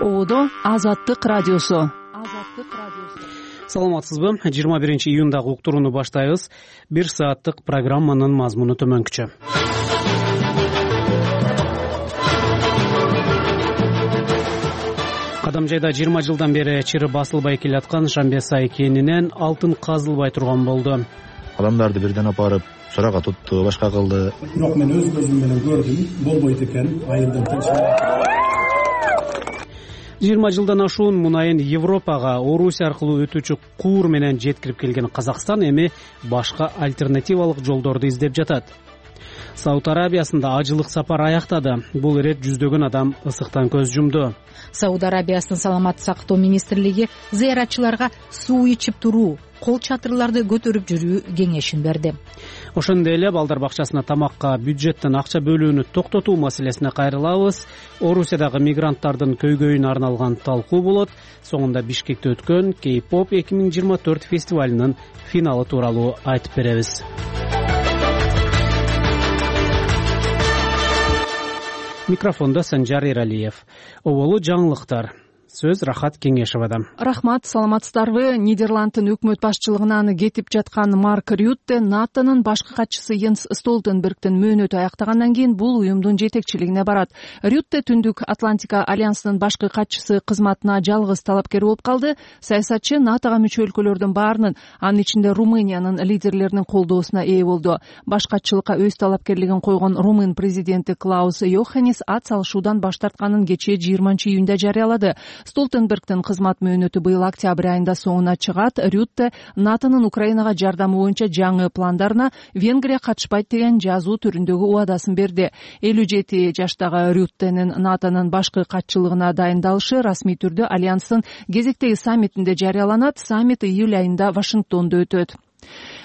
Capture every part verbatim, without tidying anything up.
Ободо Азаттык радиосу. Саламатсызбы? жыйырма биринчи июндагы уктурууну баштайбыз. Бир сааттык программанын мазмуну төмөнкүчө. Кадамжайда жыйырма жылдан бери чыры басылбай келаткан Шамбесай кенинен алтын казылбай турган болду. Адамдарды бирден апарып суракка тутту, башка кылды. Бирок мен өз көзүм менен көрдүм, болбойт экен. Айылдан тынчын. жыйырма жылдан ашуун мунайын Европага Орусия аркылуу өтүүчү куур менен жеткирип келген Казакстан эми башка альтернативалык жолдорду издеп жатат. Сауд Арабиясында ажылык сапар аяктады. Бул ирет жүздөгөн адам ысыктан көз жумду. Сауд Арабиясынын саламаттык сактоо министрлиги зыяратчыларга суу ичип туруу, кол чатырларды көтөрүп жүрүү кеңешин берди. Ошондой эле балдар бакчасына тамакка бюджеттен акча бөлүүнү токтотуу маселесине кайрылабыз. Орусиядагы мигранттардын көйгөйүнө арналган талкуу болот. Соңунда Бишкекте өткөн Кей-поп эки миң жыйырма төрт фестивалынын финалы тууралуу айтып беребиз. Микрофонда Санжар Эралиев. Оболу жаңылыктар. Сөз Рахат Кеңешевада. Рахмат, саламатсыздарбы? Нидерланддын өкмөт башчылыгынан кетип жаткан Марк Рютте НАТОнун башкы катчысы Йенс Столтенбергдин мөөнөтү аяктагандан кийин бул уюмдун жетекчилигине барат. Рютте Түндүк Атлантика альянсынын башкы катчысы кызматына жалгыз талапкер болуп калды. Саясатчы НАТОга мүчө өлкөлөрдүн баарынын, анын ичинде Румыниянын лидерлеринин колдоосуна ээ болду. Баш катчылыкка өз талапкерлигин койгон Румын президенти Клаус Йоханнис ат салышуудан баш тартканын кечээ жыйырманчы июнда жарыялады. Столтенбергдин кызмат мөөнөтү быйыл октябрь айында соңуна чыгат. Рютте НАТОнун Украинага жардамы боюнча жаңы пландарына Венгрия катышпайт деген жазуу түрүндөгү убадасын берди. элүү жети жаштагы Рюттенин НАТОнун башкы катчылыгына дайындалышы расмий түрдө альянстын кезектеги саммитинде жарыяланат. Саммит июль айында Вашингтондо өтөт.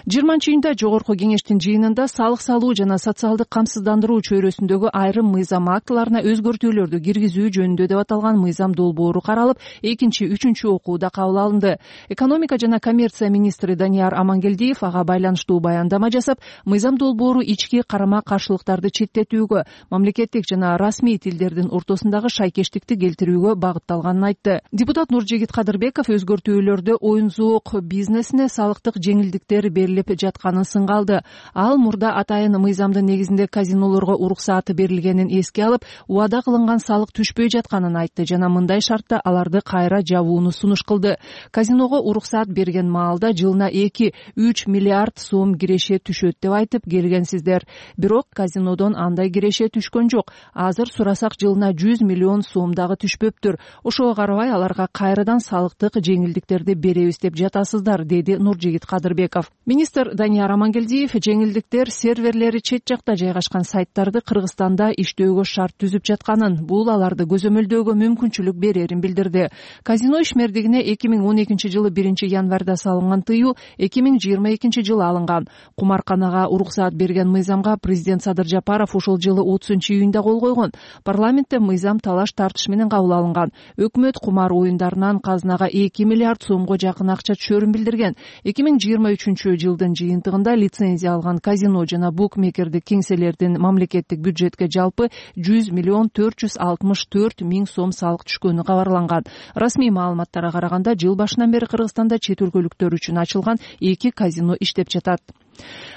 жыйырманчы июнда жогорку кеңештин жыйынында салык салуу жана социалдык камсыздандыруу чөйрөсүндөгү айрым мыйзам актыларына өзгөртүүлөрдү киргизүү жөнүндө деп аталган мыйзам долбоору каралып, экинчи, үчүнчү окууда кабыл алынды. Экономика жана коммерция министри Данияр Амангелдиев ага байланыштуу баяндама жасап, мыйзам долбоору ички карама каршылыктарды четтетүүгө, мамлекеттик жана расмий тилдердин ортосундагы шайкештикти келтирүүгө багытталганын айтты. Депутат Нуржигит Кадырбеков өзгөртүүлөрдө оюн-зоок бизнесине салыктык жеңилдиктер берилип жатканын сынга алды. Ал мурда атайын мыйзамдын негизинде казинолорго уруксаты берилгенин эске алып, убада кылынган салык түшпөй жатканын айтты жана мындай шартта аларды кайра жабууну сунуш кылды. Казиного уруксат берген маалда жылына эки үч миллиард сом киреше түшөт деп айтып келгенсиздер. Бирок казинодон андай киреше түшкөн жок. Азыр сурасак жылына жүз миллион сом дагы түшпөптүр. Ошого карабай аларга кайрадан салыктык жеңилдиктерди беребиз деп жатасыздар, деди Нуржигит Кадырбеков. Министр Данияр Амангелдиев жеңилдиктер серверлери чет жакта жайгашкан сайттарды Кыргызстанда иштөөгө шарт түзүп жатканын, бул аларды көзөмөлдөөгө мүмкүнчүлүк берерин билдирди. Казино ишмердигине эки миң он экинчи жылы биринчи январда салынган тыюу эки миң жыйырма экинчи жылы алынган. Кумарканага уруксаат берген мыйзамга президент Садыр Жапаров ушул жылы отузунчу июнда кол койгон. Парламентте мыйзам талаш тартыш менен кабыл алынган. Өкмөт кумар оюндарынан казынага эки миллиард сомго жакын акча түшөрүн билдирген. эки миң жыйырма үчүнчү жылдын жыйынтыгында лицензия алган казино жана букмекердик кеңселердин мамлекеттик бюджетке жалпы жүз миллион төрт жүз алтымыш төрт миң сом салык түшкөнү кабарланган. Расмий маалыматтарга караганда жыл башынан бери Кыргызстанда чет өлкөлүктөр үчүн ачылган эки казино иштеп жатат.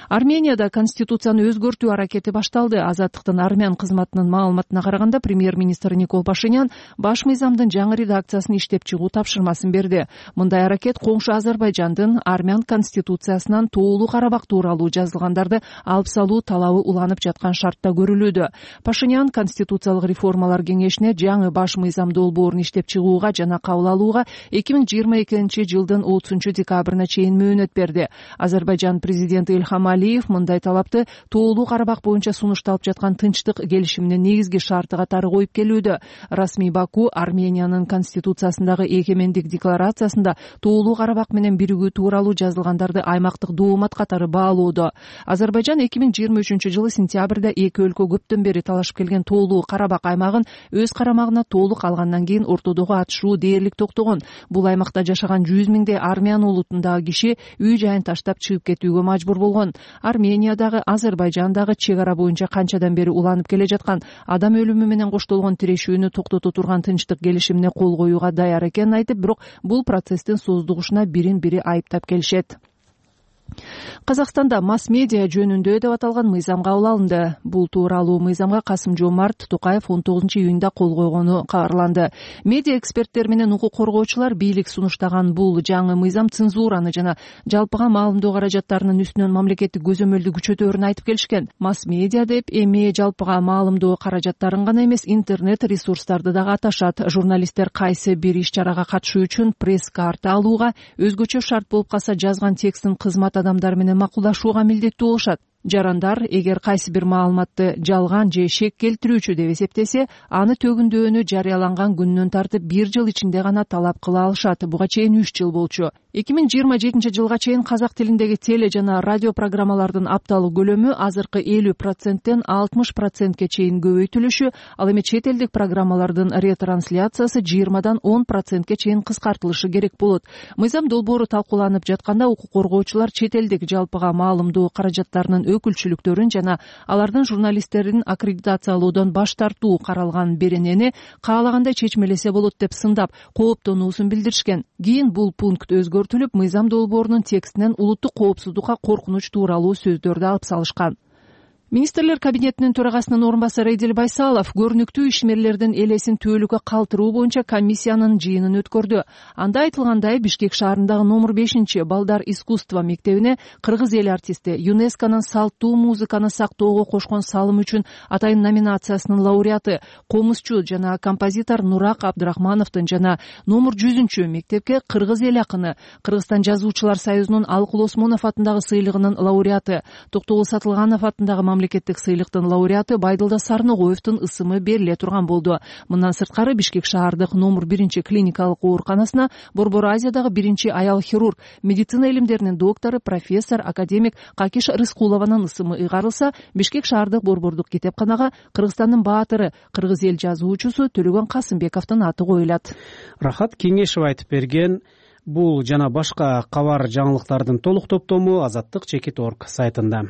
Арменияда конституцияны өзгөртүү аракети башталды. Азаттыктын армян кызматынын маалыматына караганда премьер-министр Никол Пашинян баш мыйзамдын жаңы редакциясын иштеп чыгуу тапшырмасын берди. Мындай аракет коңшу Азербайжандын армян конституциясынан тоолуу Карабак тууралуу жазылгандарды алып салуу талабы уланып жаткан шартта көрүлүүдө. Пашинян конституциялык реформалар кеңешине жаңы баш мыйзам долбоорун иштеп чыгууга жана кабыл алууга эки миң жыйырма экинчи жылдын отузунчу декабрына чейин мөөнөт берди. Азербайжан президенти Илхам Алиев мындай талапты тоолуу Карабак боюнча сунушталып жаткан тынчтык келишиминин негизги шарты катары коюп келүүдө. Расмий Баку Армениянын конституциясындагы эгемендик декларациясында тоолуу Карабак менен биригүү тууралуу жазылгандарды аймактык доомат катары баалоодо. Азербайжан эки миң жыйырма үчүнчү жылы сентябрда эки өлкө көптөн бери талашып келген тоолуу Карабак аймагын өз карамагына толук алгандан кийин ортодогу атышуу дээрлик токтогон. Бул аймакта жашаган жүз миңдей армян улутундагы киши үй жайын таштап чыгып кетүүгө мажбур мажбур болгон. Армениядагы, Азербайжандагы чек ара боюнча канчадан бери уланып келе жаткан адам өлүмү менен коштолгон тирешүүнү токтото турган тынчтык келишимине кол коюуга даяр экенин айтып, бирок бул процесстин сооздугушуна бирин бири айыптап келишет. Казакстанда масс медиа жөнүндө деп аталган мыйзам кабыл алынды. Бул тууралуу мыйзамга Касым-Жомарт Токаев он тогузунчу июнда кол койгону кабарланды. Медиа эксперттер менен укук коргоочулар бийлик сунуштаган бул жаңы мыйзам цензураны жана жалпыга маалымдоо каражаттарынын үстүнөн мамлекеттик көзөмөлдү күчөтөөрүн айтып келишкен. Масс медиа деп эми жалпыга маалымдоо каражаттарын гана эмес, интернет ресурстарды дагы аташат. Журналисттер кайсы бир иш-чарага катышуу үчүн пресс-карта алууга, өзгөчө шарт болуп калса жазган текстин кызмат адамдар менен макулдашууга милдеттүү болушат. Жарандар эгер кайсы бир маалыматты жалган же шек келтирүүчү деп эсептесе, аны төгүндөөнү жарыяланган күнүнөн тартып бир жыл ичинде гана талап кыла алышат. Буга чейин үч жыл болчу. эки миң жыйырма жетинчи жылга чейин казак тилиндеги теле жана радио программалардын апталык көлөмү азыркы элүү проценттен алтымыш процентке чейин көбөйтүлүшү, ал эми чет элдик программалардын ретрансляциясы жыйырмадан он процентке чейин кыскартылышы керек болот. Мыйзам долбоору талкууланып жатканда укук коргоочулар чет элдик жалпыга маалымдоо каражаттарынын өкүлчүлүктөрүн жана алардын журналисттерин аккредитациялоодон баш тартуу каралган беренени каалагандай чечмелесе болот деп сындап, кооптонуусун билдиришкен. Кийин бул пункт өзгөртүлүп, мыйзам долбоорунун текстинен улуттук коопсуздукка коркунуч тууралуу сөздөрдү алып салышкан. Министрлер кабинетинин төрагасынын орун басары Эдил Байсалов көрүнүктүү ишмерлердин элесин түбөлүккө калтыруу боюнча комиссиянын жыйынын өткөрдү. Анда айтылгандай, Бишкек шаарындагы номер бешинчи Балдар искусство мектебине кыргыз эл артисти, ЮНЕСКОнун салттуу музыканы сактоого кошкон салым үчүн атайын номинациясынын лауреаты, комузчу жана композитор Нурак Абдрахмановдун жана номер жүзүнчү мектепке кыргыз эл акыны, Кыргызстан жазуучулар союзунун Алкул Осмонов атындагы сыйлыгынын лауреаты, Токтогул Сатылганов атындагы мамлекеттик сыйлыктын лауреаты Байдылда Сарногоевдун ысымы бериле турган болду. Мындан сырткары Бишкек шаардык номер биринчи клиникалык ооруканасына Борбор Азиядагы биринчи аял хирург, медицина илимдеринин доктору, профессор, академик Какиш Рыскулованын ысымы ыйгарылса, Бишкек шаардык борбордук китепканага Кыргызстандын баатыры, кыргыз эл жазуучусу Төлөгөн Касымбековдун аты коюлат. Рахат Кеңешева айтып берген. Бул жана башка кабар жаңылыктардын толук топтому азаттык чекит точка орг сайтында.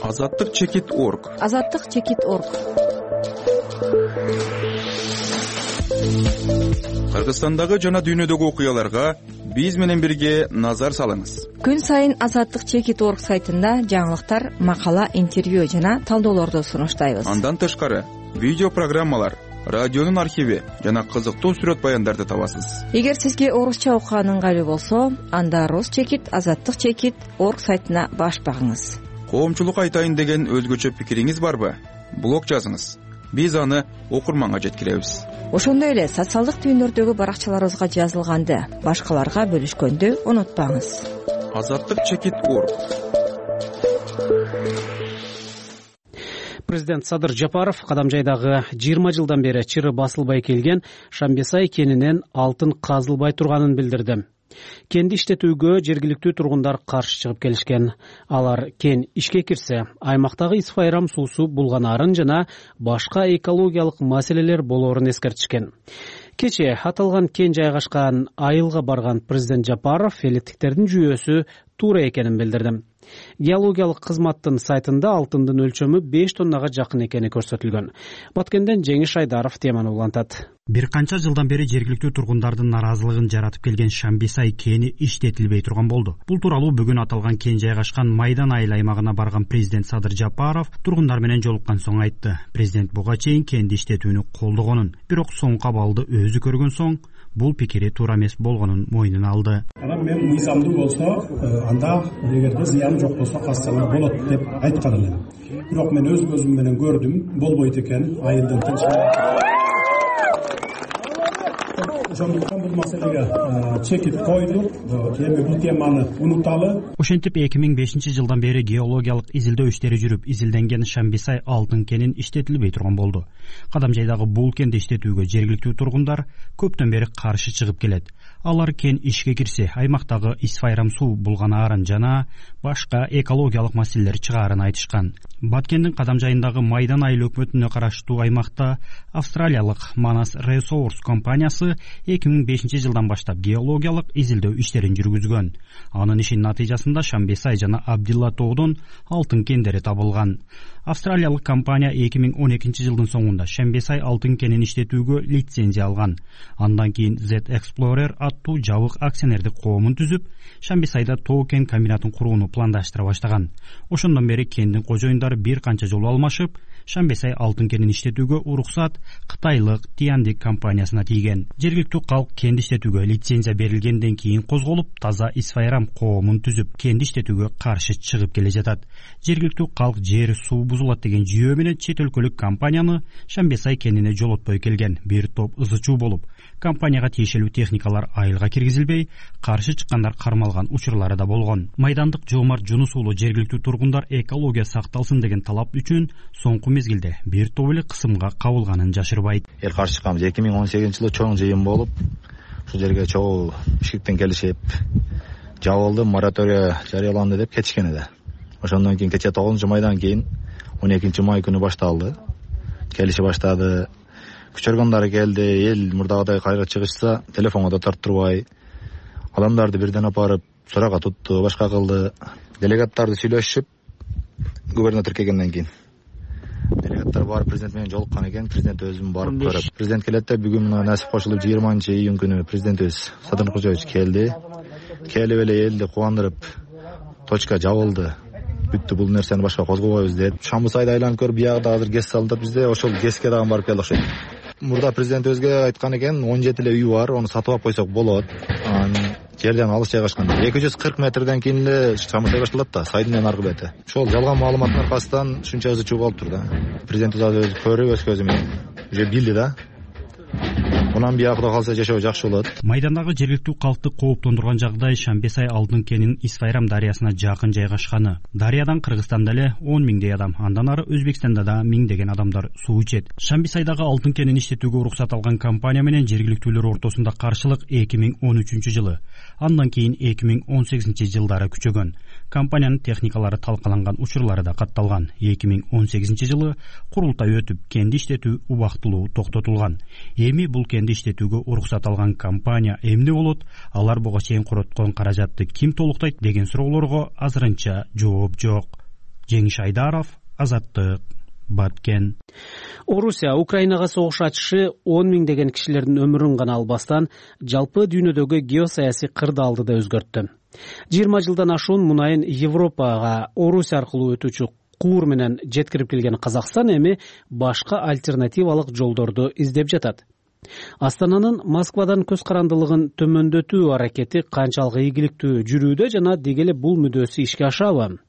азаттык чекит точка орг азаттык чекит точка орг Кыргызстандагы жана дүйнөдөгү окуяларга биз менен бирге назар салыңыз. Күн сайын азаттык чекит точка орг сайтында жаңылыктар, макала, интервью жана талдоолорду сунуштайбыз. Андан тышкары видео программалар, радионун архиви жана кызыктуу сүрөт баяндарды табасыз. Эгер сизге орусча окуган ыңгайлуу болсо, анда Рус чекит азаттык чекит точка орг сайтына баш багыңыз. Коомчулук айтайын деген өзгөчө пикириңиз барбы? Блог жазыңыз. Биз аны окурманга жеткиребиз. Ошондой эле социалдык түйүндөрдөгү баракчаларыбызга жазылганды башкаларга бөлүшкөндү унутпаңыз. азаттык чекит точка орг Президент Садыр Жапаров Кадамжайдагы жыйырма жылдан бери чыры басылбай келген Шамбесай кенинен алтын казылбай турганын билдирди. Кенди иштетүүгө жергиликтүү тургундар каршы чыгып келишкен. Алар кен ишке кирсе, аймактагы исфайрам суусу булганарын жана башка экологиялык маселелер болоорун эскертишкен. Кечээ аталган кен жайгашкан айылга барган президент Жапаров электиктердин жүйөсү туура экенин билдирди. Геологиялык кызматтын сайтында алтындын өлчөмү беш тоннага жакын экени көрсөтүлгөн. Баткенден Жеңиш Айдаров теманы улантат. Бир канча жылдан бери жергиликтүү тургундардын наразылыгын жаратып келген Шамбесай кени иштетилбей турган болду. Бул тууралуу бүгүн аталган кен жайгашкан Майдан айыл аймагына барган президент Садыр Жапаров тургундар менен жолуккан соң айтты. Президент буга чейин кенди иштетүүнү колдогонун, бирок соңку абалды өзү көргөн соң бул пикири туура эмес болгонун мойнуна алды. Анан мен мыйзамдуу болсо, анда эгерде зыяны жок болсо кассаңар болот деп айткан элем. Бирок мен өз көзүм менен көрдүм, болбойт экен, айылдын тынччылыгы. Ошондуктан бул маселеге чекит койдук, эми бул теманы унуталы. Ошентип эки миң бешинчи жылдан бери геологиялык изилдөө иштери жүрүп, изилденген Шамбесай алтын кенин иштетилбей турган болду. Кадамжайдагы бул кенди иштетүүгө жергиликтүү тургундар көптөн бери каршы чыгып келет. Алар кен ишке кирсе, аймактагы исфайрам суу булганаарын жана башка экологиялык маселелер чыгаарын айтышкан. Баткендин Кадамжайындагы Майдан айыл өкмөтүнө караштуу аймакта австралиялык Манас Resource компаниясы эки миң бешинчи жылдан баштап геологиялык изилдөө иштерин жүргүзгөн. Анын ишинин натыйжасында Шамбесай жана Абдилла тоодон алтын кендери табылган. Австралиялык компания эки миң он экинчи жылдын соңунда Шамбесай алтын кенин иштетүүгө лицензия алган. Андан кийин Z Explorer аттуу жабык акционердик коомун түзүп, Шамбесайда тоо кен комбинатын курууну пландаштыра баштаган. Ошондон бери кендин кожоюндары бир канча жолу алмашып, Шамбесай алтын кенин иштетүүгө уруксат кытайлык Тиандик компаниясына тийген. Жергиликтүү калк кенди иштетүүгө лицензия берилгенден кийин козголуп, таза Исфайрам коомун түзүп, кенди иштетүүгө каршы чыгып келе жатат. Жергиликтүү калк жер суу бузулат деген жүйөө менен чет өлкөлүк компанияны Шамбесай кенине жолотпой келген. Бир топ ызы чуу болуп, компанияга тиешелүү техникалар айылга киргизилбей, каршы чыккандар кармалган учурлары да болгон. Майдандык Жоомарт Жунус уулу жергиликтүү тургундар экология сакталсын деген талап үчүн соңку мезгилде бир топ эле кысымга кабылганын жашырбайт. Эл каршы чыкканбыз. эки миң он сегизинчи жылы чоң жыйын болуп, ушул жерге чогуу Бишкектен келишип, жабылды, моратория жарыяланды деп кетишкен эди. Ошондон кийин кечээ тогузунчу майдан кийин он экинчи май күнү башталды. Келиши баштады. Күч органдары келди. Эл мурдагыдай кайра чыгышса, телефонго да тарттырбай, адамдарды бирден апарып суракка тутту, башка кылды. Делегаттарды сүйлөшүп, губернатор келгенден кийин делегаттар барып президент менен жолуккан экен. Президент өзүм барып көрүп, президент келет деп бүгүн насип кошулуп жыйырманчы июнь күнү президентибиз Садыр Нуркожоевич келди. Келип эле элди кубандырып, точка жабылды, бүттү, бул нерсени башка козгобойбуз деп. Шамбысайды айланып көрүп, биягда азыр ГЭС салынып, бизде ошол ГЭСке дагы барып келди окшойт. Мурда президентибизге айткан экен, он жети эле үй бар, аны сатып алып койсок болот. Жерден алыс жайгашкан. эки жүз кырк метрден кийин эле Шамбысай башталат да, сайдын аркы бети. Ошол жалган маалыматтын аркасынан ушунча ызы чуу болуптур да. Президентибиз өзү көрүп, өз көзү менен уже билди да. Мунан бияк Кудай калса жашоо жакшы болот. Майдандагы жергиликтүү калкты кооптондурган жагдай Шамбесай алтын кенинин Исфайрам дарыясына жакын жайгашканы. Дарыядан Кыргызстанда эле он миңдей адам, андан ары Өзбекстанда да миңдеген адамдар суу ичет. Шамбесайдагы алтын кенин иштетүүгө уруксат алган компания менен жергиликтүүлөр ортосунда каршылык эки миң он үчүнчү жылы, андан кийин эки миң он сегизинчи жылдары күчөгөн. Компаниянын техникалары талкаланган учурлары да катталган. эки миң он сегизинчи жылы курултай өтүп, кенди иштетүү убактылуу токтотулган. Эми бул кенди иштетүүгө уруксат алган компания эмне болот? Алар буга чейин короткон каражатты ким толуктайт деген суроолорго азырынча жооп жок. Жеңиш Айдаров, Азаттык, Баткен. Орусия Украинага согуш ачышы он миңдеген кишилердин өмүрүн гана албастан, жалпы дүйнөдөгү геосаясий кырдаалды да өзгөрттү. жыйырма жылдан ашуун мунайын Европага Орусия аркылуу өтүүчү куур менен жеткирип келген Казакстан эми башка альтернативалык жолдорду издеп жатат. Астананын Москвадан көз карандылыгын төмөндөтүү аракети канчалык ийгиликтүү жүрүүдө жана деги эле бул мүдөөсү ишке ашабы?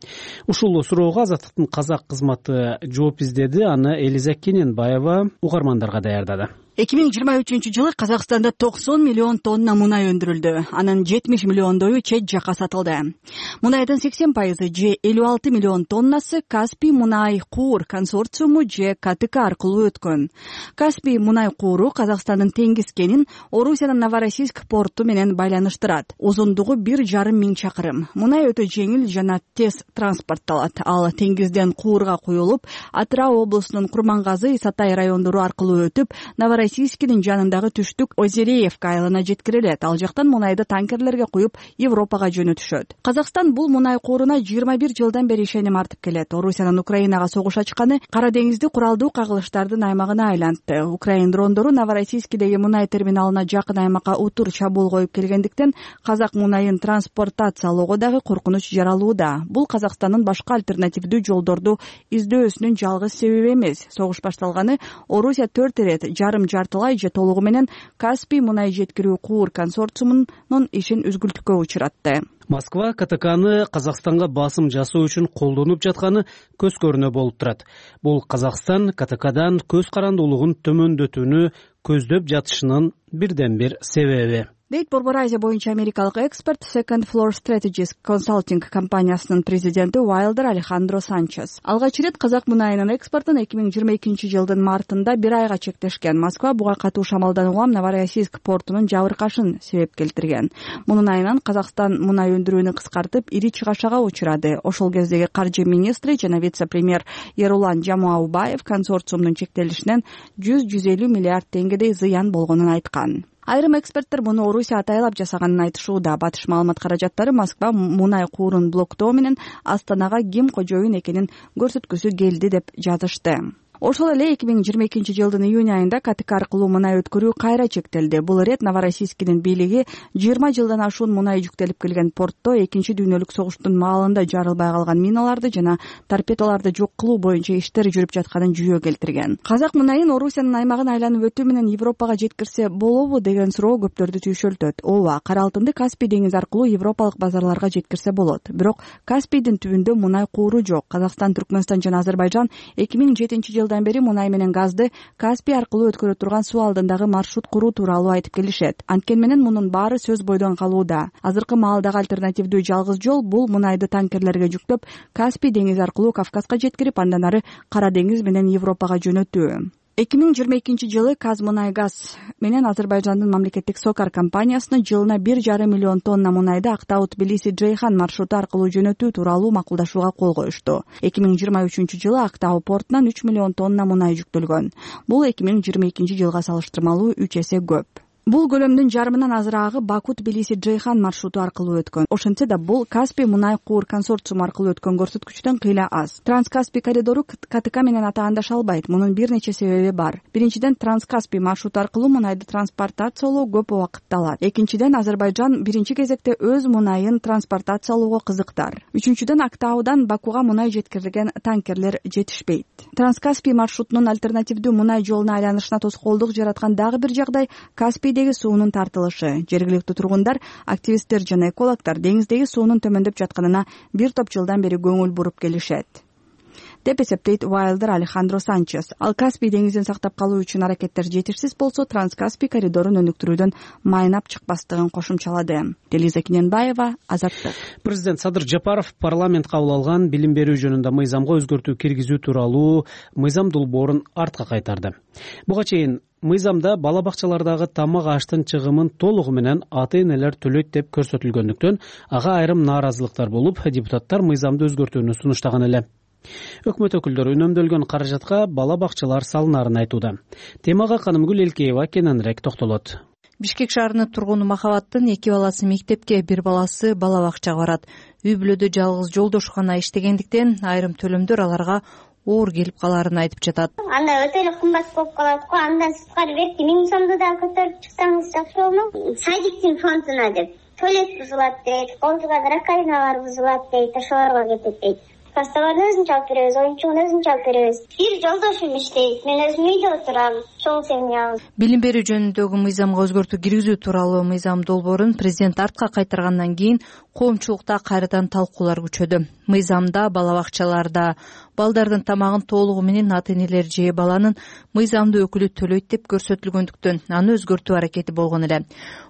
Ушул суроого Азаттыктын казак кызматы жооп издеди. Аны Элиза Кененбаева угармандарга даярдады. эки миң жыйырма үчүнчү жылы Казакстанда токсон миллион тонна мунай өндүрүлдү. Анын жетимиш миллиондою чет жакка сатылды. Мунайдын сексен пайызы же элүү алты миллион тоннасы Каспий мунай куур консорциуму же КТК аркылуу өткөн. Каспий мунай кууру Казакстандын теңиз кенин Орусиянын Новороссийск порту менен байланыштырат. Узундугу бир жарым миң чакырым. Мунай өтө жеңил жана тез транспортталат. Ал теңизден куурга куюлуп, Атырау облусунун Курмангазы, Исатай райондору аркылуу өтүп, Новороссийскинин жанындагы түштүк Озереевка айылына жеткирилет. Ал жактан мунайды танкерлерге куюп Европага жөнөтүшөт. Казакстан бул мунай кууруна жыйырма бир жылдан бери ишеним артып келет. Орусиянын Украинага согуш ачканы Кара деңизди куралдуу кагылыштардын аймагына айлантты. Украин дрондору Новороссийскидеги мунай терминалына жакын аймакка утур чабуул коюп келгендиктен казак мунайын транспортациялоого дагы коркунуч жаралууда. Бул Казакстандын башка альтернативдүү жолдорду издөөсүнүн жалгыз себеби эмес. Согуш башталганы Орусия төрт ирет жарым жартылай же толугу менен Каспий мунай жеткирүү куур консорциумунун ишин үзгүлтүккө учуратты. Москва КТКны Казакстанга басым жасоо үчүн колдонуп жатканы көз көрүнө болуп турат. Бул Казакстан КТКдан көз карандуулугун төмөндөтүүнү көздөп жатышынын бирден бир себеби. Дейт Борбор Азия боюнча америкалык эксперт Second Floor Strategies Consulting компаниясынын президенти Уайлдер Алехандро Санчес. Алгач ирет казак мунайынын экспортун эки миң жыйырма экинчи жылдын мартында бир айга чектешкен. Москва буга катуу шамалдан улам Новороссийск портунун жабыркашын себеп келтирген. Мунун айынан Казакстан мунай өндүрүүнү кыскартып, ири чыгашага учурады. Ошол кездеги каржы министри жана вице-премьер Ерулан Жамаубаев консорциумдун чектелишинен жүз жүз элүү миллиард теңгедей зыян болгонун айткан. Айрым эксперттер муну Орусия атайлап жасаганын айтышууда. Батыш маалымат каражаттары Москва мунай куурун блоктоо менен Астанага ким кожоюн экенин көрсөткүсү келди деп жазышты. Ошол эле эки миң жыйырма экинчи жылдын июнь айында КТК аркылуу мунай өткөрүү кайра чектелди. Бул ирет Новороссийскинин бийлиги жыйырма жылдан ашуун мунай жүктелип келген портто экинчи дүйнөлүк согуштун маалында жарылбай калган миналарды жана торпедолорду жок кылуу боюнча иштер жүрүп жатканын жүйө келтирген. Казак мунайын Орусиянын аймагын айланып өтүү менен Европага жеткирсе болобу деген суроо көптөрдү түйшөлтөт. Ооба, кара алтынды Каспий деңизи аркылуу европалык базарларга жеткирсе болот. Бирок Каспийдин түбүндө мунай кууру жок. Казакстан, Түркмөнстан жана Азербайжан эки миң жетинчи жылдан бери мунай менен газды Каспий аркылуу өткөрө турган суу алдындагы маршрут куруу тууралуу айтып келишет. Анткени менен мунун баары сөз бойдон калууда. Азыркы маалдагы альтернативдүү жалгыз жол бул мунайды танкерлерге жүктөп Каспий деңизи аркылуу Кавказга жеткирип, андан ары Кара деңиз менен Европага жөнөтүү. эки миң жыйырма экинчи жылы Казмунайгаз менен Азербайжандын мамлекеттик Сокар компаниясына жылына бир жарым миллион тонна мунайды Актау Тбилиси Джейхан маршруту аркылуу жөнөтүү тууралуу макулдашууга кол коюшту. эки миң жыйырма үчүнчү жылы Актау портунан үч миллион тонна мунай жүктөлгөн. Бул эки миң жыйырма экинчи жылга салыштырмалуу үч эсе көп. Бул көлөмдүн жарымынан азыраагы Баку Тбилиси Джейхан маршруту аркылуу өткөн. Ошентсе да бул Каспий мунай куур консорциуму аркылуу өткөн көрсөткүчтөн кыйла аз. Транскаспий коридору КТК менен атаандаш албайт. Мунун бир нече себеби бар. Биринчиден, Транскаспий маршруту аркылуу мунайды транспортациялоо көп убакытты алат. Экинчиден, Азербайжан биринчи кезекте өз мунайын транспортациялоого кызыктар. Үчүнчүдөн, Актаудан Бакуга мунай жеткирилген танкерлер жетишпейт. Транскаспий маршрутунун альтернативдүү мунай жолуна айланышына тоскоолдук жараткан дагы бир жагдай Каспий суунун тартылышы. Жергиликтүү тургундар, активисттер жана экологдор деңиздеги суунун төмөндөп жатканына бир топ жылдан бери көңүл буруп келишет деп эсептейт Уайлдер Алехандро Санчес. Ал Каспий деңизин сактап калуу үчүн аракеттер жетишсиз болсо, Транскаспий коридорун өнүктүрүүдөн майнап чыкпастыгын кошумчалады. Делиза Киненбаева, Азаттык. Президент Садыр Жапаров парламент кабыл алган билим берүү жөнүндө мыйзамга өзгөртүү киргизүү тууралуу мыйзам долбоорун артка кайтарды. Буга чейин мыйзамда бала бакчалардагы тамак аштын чыгымын толугу менен ата-энелер төлөйт деп көрсөтүлгөндүктөн ага айрым нааразылыктар болуп, депутаттар мыйзамды өзгөртүүнү сунуштаган эле. Өкмөт өкүлдөрү үнөмдөлгөн каражатка бала бакчалар салынарын айтууда. Темага Канымгүл Элкеева кененирээк токтолот. Бишкек шаарынын тургуну Махабаттын эки баласы мектепке, бир баласы бала бакчага барат. Үй бүлөдө жалгыз жолдошу гана иштегендиктен айрым төлөмдөр аларга оор келип каларын айтып жатат. Анда өтө эле кымбат болуп калат го. Андан сырткары берки миң сомду да көтөрүп чыксаңыз жакшы болмок. Садиктин фондуна деп туалет бузулат дейт, колдуган раковиналар бузулат дейт, ошолорго кетет дейт. Пасталарды өзүнчө алып беребиз, оюнчугун өзүнчө алып беребиз. Бир жолдошум иштейт, мен өзүм үйдө отурам, чоң семьябыз. Билим берүү жөнүндөгү мыйзамга өзгөртүү киргизүү тууралуу мыйзам долбоорун президент артка кайтаргандан кийин коомчулукта кайрадан талкуулар күчөдү. Мыйзамда бала бакчаларда балдардын тамагын толугу менен ата-энелер же баланын мыйзамдуу өкүлү төлөйт деп көрсөтүлгөндүктөн аны өзгөртүү аракети болгон эле.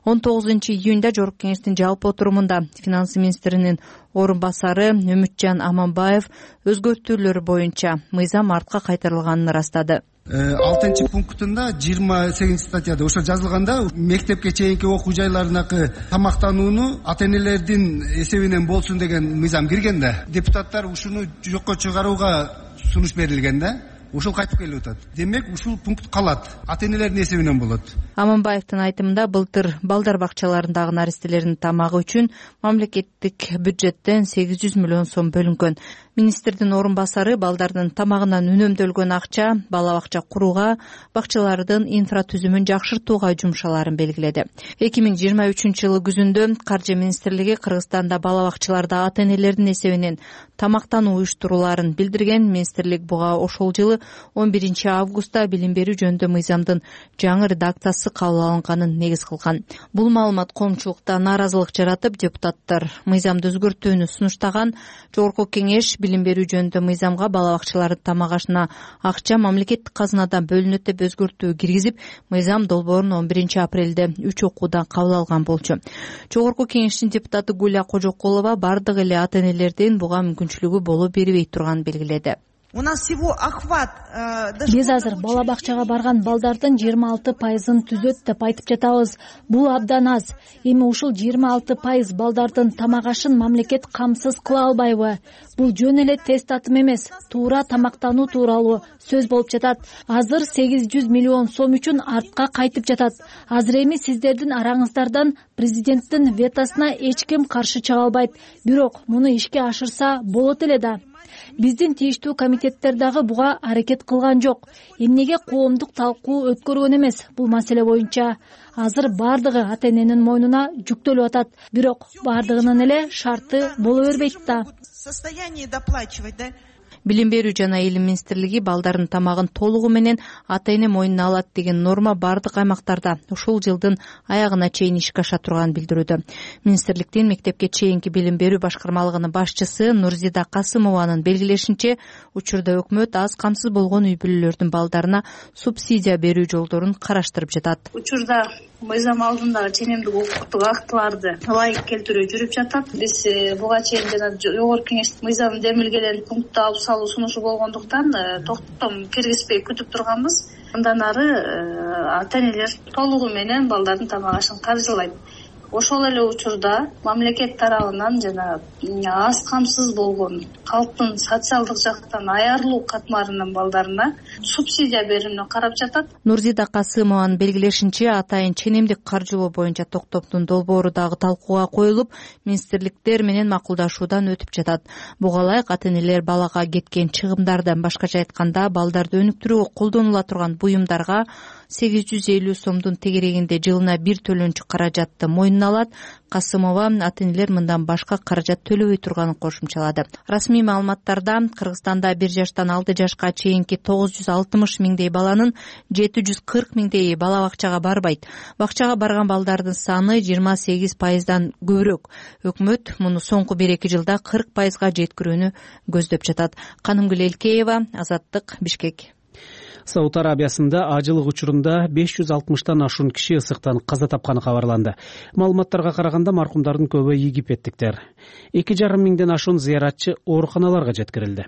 он тогузунчу июнда Жогорку Кеңештин жалпы отурумунда финансы министринин орун басары Үмүтжан Аманбаев өзгөртүүлөр боюнча мыйзам артка кайтарылганын ырастады. алтынчы пунктунда жыйырма сегизинчи статьяда ошо жазылганда мектепке чейинки окуу жайларындагы тамактанууну ата-энелердин эсебинен болсун деген мыйзам кирген да. Депутаттар ушуну жокко чыгарууга сунуш берилген да. Ушул кайтып келип атат. Демек ушул пункт калат. Ата-энелердин эсебинен болот. Аманбаевдин айтымында былтыр балдар бакчаларындагы наристелердин тамагы үчүн мамлекеттик бюджеттен сегиз жүз миллион сом бөлүнгөн. Министрдин орун басары балдардын тамагынан үнөмдөлгөн акча бала бакча курууга, бакчалардын инфратүзүмүн жакшыртууга жумшаларын белгиледи. эки миң жыйырма үчүнчү жылы күзүндө Каржы министрлиги Кыргызстанда бала бакчаларда ата-энелердин эсебинен тамактануу уюштурууларын билдирген. Министрлик буга ошол жылы он биринчи августта билим берүү жөнүндө мыйзамдын жаңы редакциясы кабыл алынганын негиз кылган. Бул маалымат коомчулукта нааразылык жаратып, депутаттар мыйзамды өзгөртүүнү сунуштаган. Жогорку Кеңеш билим берүү жөнүндө мыйзамга бала бакчалардын тамак ашына акча мамлекеттик казынадан бөлүнөт деп өзгөртүү киргизип, мыйзам долбоорун он биринчи апрелде үч окуудан кабыл алган болчу. Жогорку Кеңештин депутаты Гуля Кожокулова бардык эле ата-энелердин буга мүмкүнчүлүгү боло бербей турганын белгиледи. у нас всего охват. Биз азыр бала бакчага барган балдардын жыйырма алты пайызын түзөт деп айтып жатабыз. Бул абдан аз. Эми ушул жыйырма алты пайыз балдардын тамак ашын мамлекет камсыз кыла албайбы? Бул жөн эле тест атым эмес, туура тамактануу тууралуу сөз болуп жатат. Азыр сегиз жүз миллион сом үчүн артка кайтып жатат. Азыр эми сиздердин араңыздардан президенттин ветосуна эч ким каршы чыга албайт. Бирок муну ишке ашырса болот эле да. Биздин тийиштүү комитеттер дагы буга аракет кылган жок. Эмнеге коомдук талкуу өткөргөн эмес бул маселе боюнча? Азыр бардыгы ата эненин мойнуна жүктөлүп атат. Бирок бардыгынын эле шарты боло бербейт да. Состояние доплачивать, да? Билим берүү жана илим министрлиги балдардын тамагын толугу менен ата эне мойнуна алат деген норма бардык аймактарда ушул жылдын аягына чейин ишке аша турганын билдирүүдө. Министрликтин мектепке чейинки билим берүү башкармалыгынын башчысы Нурзида Касымованын белгилешинче, учурда өкмөт аз камсыз болгон үй бүлөлөрдүн балдарына субсидия берүү жолдорун караштырып жатат. Учурда мыйзам алдындагы ченемдик укуктук актыларды ылайык келтирүү жүрүп жатат. Биз буга чейин жана жогорку кеңеш мыйзам демилгелен пунктта алып салуу сунушу болгондуктан токтом киргизбей күтүп турганбыз. Андан ары ата энелер толугу менен балдардын тамак ашын каржылайт. Ошол эле учурда мамлекет тарабынан жана аз камсыз болгон калктын социалдык жактан аярлуу катмарынын балдарына субсидия берүүнү карап жатат. Нурзида Касымованын белгилешинче, атайын ченемдик каржылоо боюнча токтомдун долбоору дагы талкууга коюлуп, министрликтер менен макулдашуудан өтүп жатат. Буга ылайык ата энелер балага кеткен чыгымдардан, башкача айтканда балдарды өнүктүрүүгө колдонула турган буюмдарга сегиз жүз элүү сомдун тегерегинде жылына бир төлөнчү каражатты мойнуна алат. Касымова ата энелер мындан башка каражат төлөбөй турганын кошумчалады. Расмий маалыматтарда Кыргызстанда бир жаштан алты жашка чейинки тогуз жүз алтымыш миңдей баланын жети жүз кырк миңдейи бала бакчага барбайт. Бакчага барган балдардын саны жыйырма сегиз пайыздан көбүрөөк. Өкмөт муну соңку бир эки жылда кырк пайызга жеткирүүнү көздөп жатат. Канымгүл Элкеева, Азаттык, Бишкек. Сауд Арабиясында ажылык учурунда беш жүз алтымыштан ашуун киши ысыктан каза тапканы кабарланды. Маалыматтарга караганда маркумдардын көбү египеттиктер. эки жарым миңден ашуун зыяратчы ооруканаларга жеткирилди.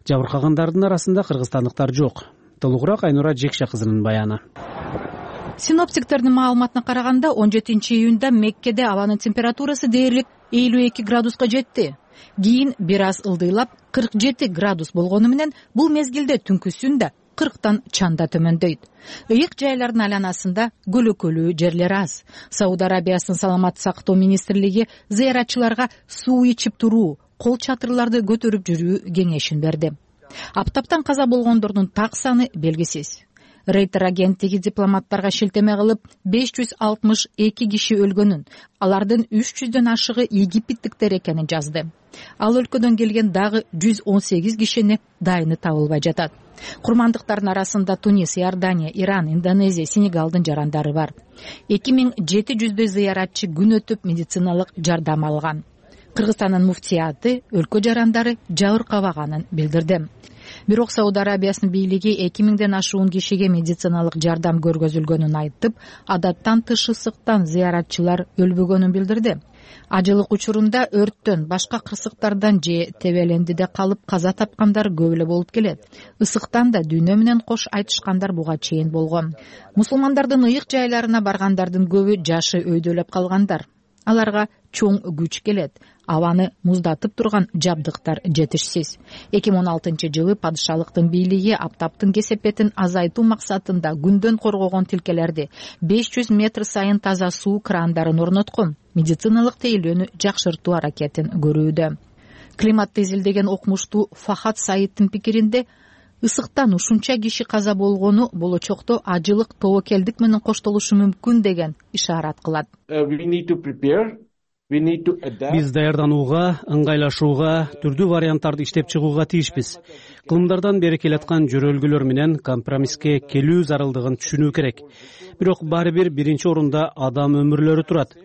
Жабыркагандардын арасында кыргызстандыктар жок. Толугураак Айнура Жекша кызынын баяны. Синоптиктердин маалыматына караганда он жетинчи июнда Меккеде абанын температурасы дээрлик элүү эки градуска жетти. Кийин бир аз ылдыйлап кырк жети градус болгону менен бул мезгилде түнкүсүндө кырктан чанда төмөндөйт. Ыйык жайлардын айланасында көлөкөлүү жерлер аз. Сауд Арабиясынын саламаттык сактоо министрлиги зыяратчыларга суу ичип туруу, кол чатырларды көтөрүп жүрүү кеңешин берди. Аптаптан каза болгондордун так саны белгисиз. Рейтер агенттиги дипломаттарга шилтеме кылып, беш жүз алтымыш эки киши өлгөнүн, алардын үч жүздөн ашыгы египеттиктер экенин жазды. Ал өлкөдөн келген дагы жүз он сегиз кишини дайыны табылбай жатат. Курмандыктардын арасында Тунис, Иордания, Иран, Индонезия, Сенегалдын жарандары бар. эки миң жети жүздөй зыяратчы күн өтүп медициналык жардам алган. Кыргызстандын муфтияты өлкө жарандары жабыркабаганын билдирди. Бирок Сауд Арабиясынын бийлиги эки миңден ашуун кишиге медициналык жардам көргөзүлгөнүн айтып, адаттан тыш ысыктан зыяратчылар өлбөгөнүн билдирди. Ажылык учурунда өрттөн, башка кырсыктардан же тебелендиде калып каза тапкандар көп эле болуп келет. Ысыктан да дүйнө менен кош айтышкандар буга чейин болгон. Мусулмандардын ыйык жайларына баргандардын көбү жашы өйдөлөп калгандар. Аларга чоң күч келет. Абаны муздатып турган жабдыктар жетишсиз. эки миң он алтынчы жылы падышалыктын бийлиги аптаптын кесепетин азайтуу максатында күндөн коргогон тилкелерди беш жүз метр сайын таза суу крандарын орноткон, медициналык тейлөөнү жакшыртуу аракетин көрүүдө. Климатты изилдеген окумуштуу Фахат Саиддин пикиринде, ысыктан ушунча киши каза болгону болочокто ажылык тобокелдик менен коштолушу мүмкүн деген ишарат кылат. Биз даярданууга, ыңгайлашууга, түрдүү варианттарды иштеп чыгууга тийишпиз. Кылымдардан бери келаткан жөрөлгөлөр менен компромисске келүү зарылдыгын түшүнүү керек. Бирок баары бир биринчи орунда адам өмүрлөрү турат.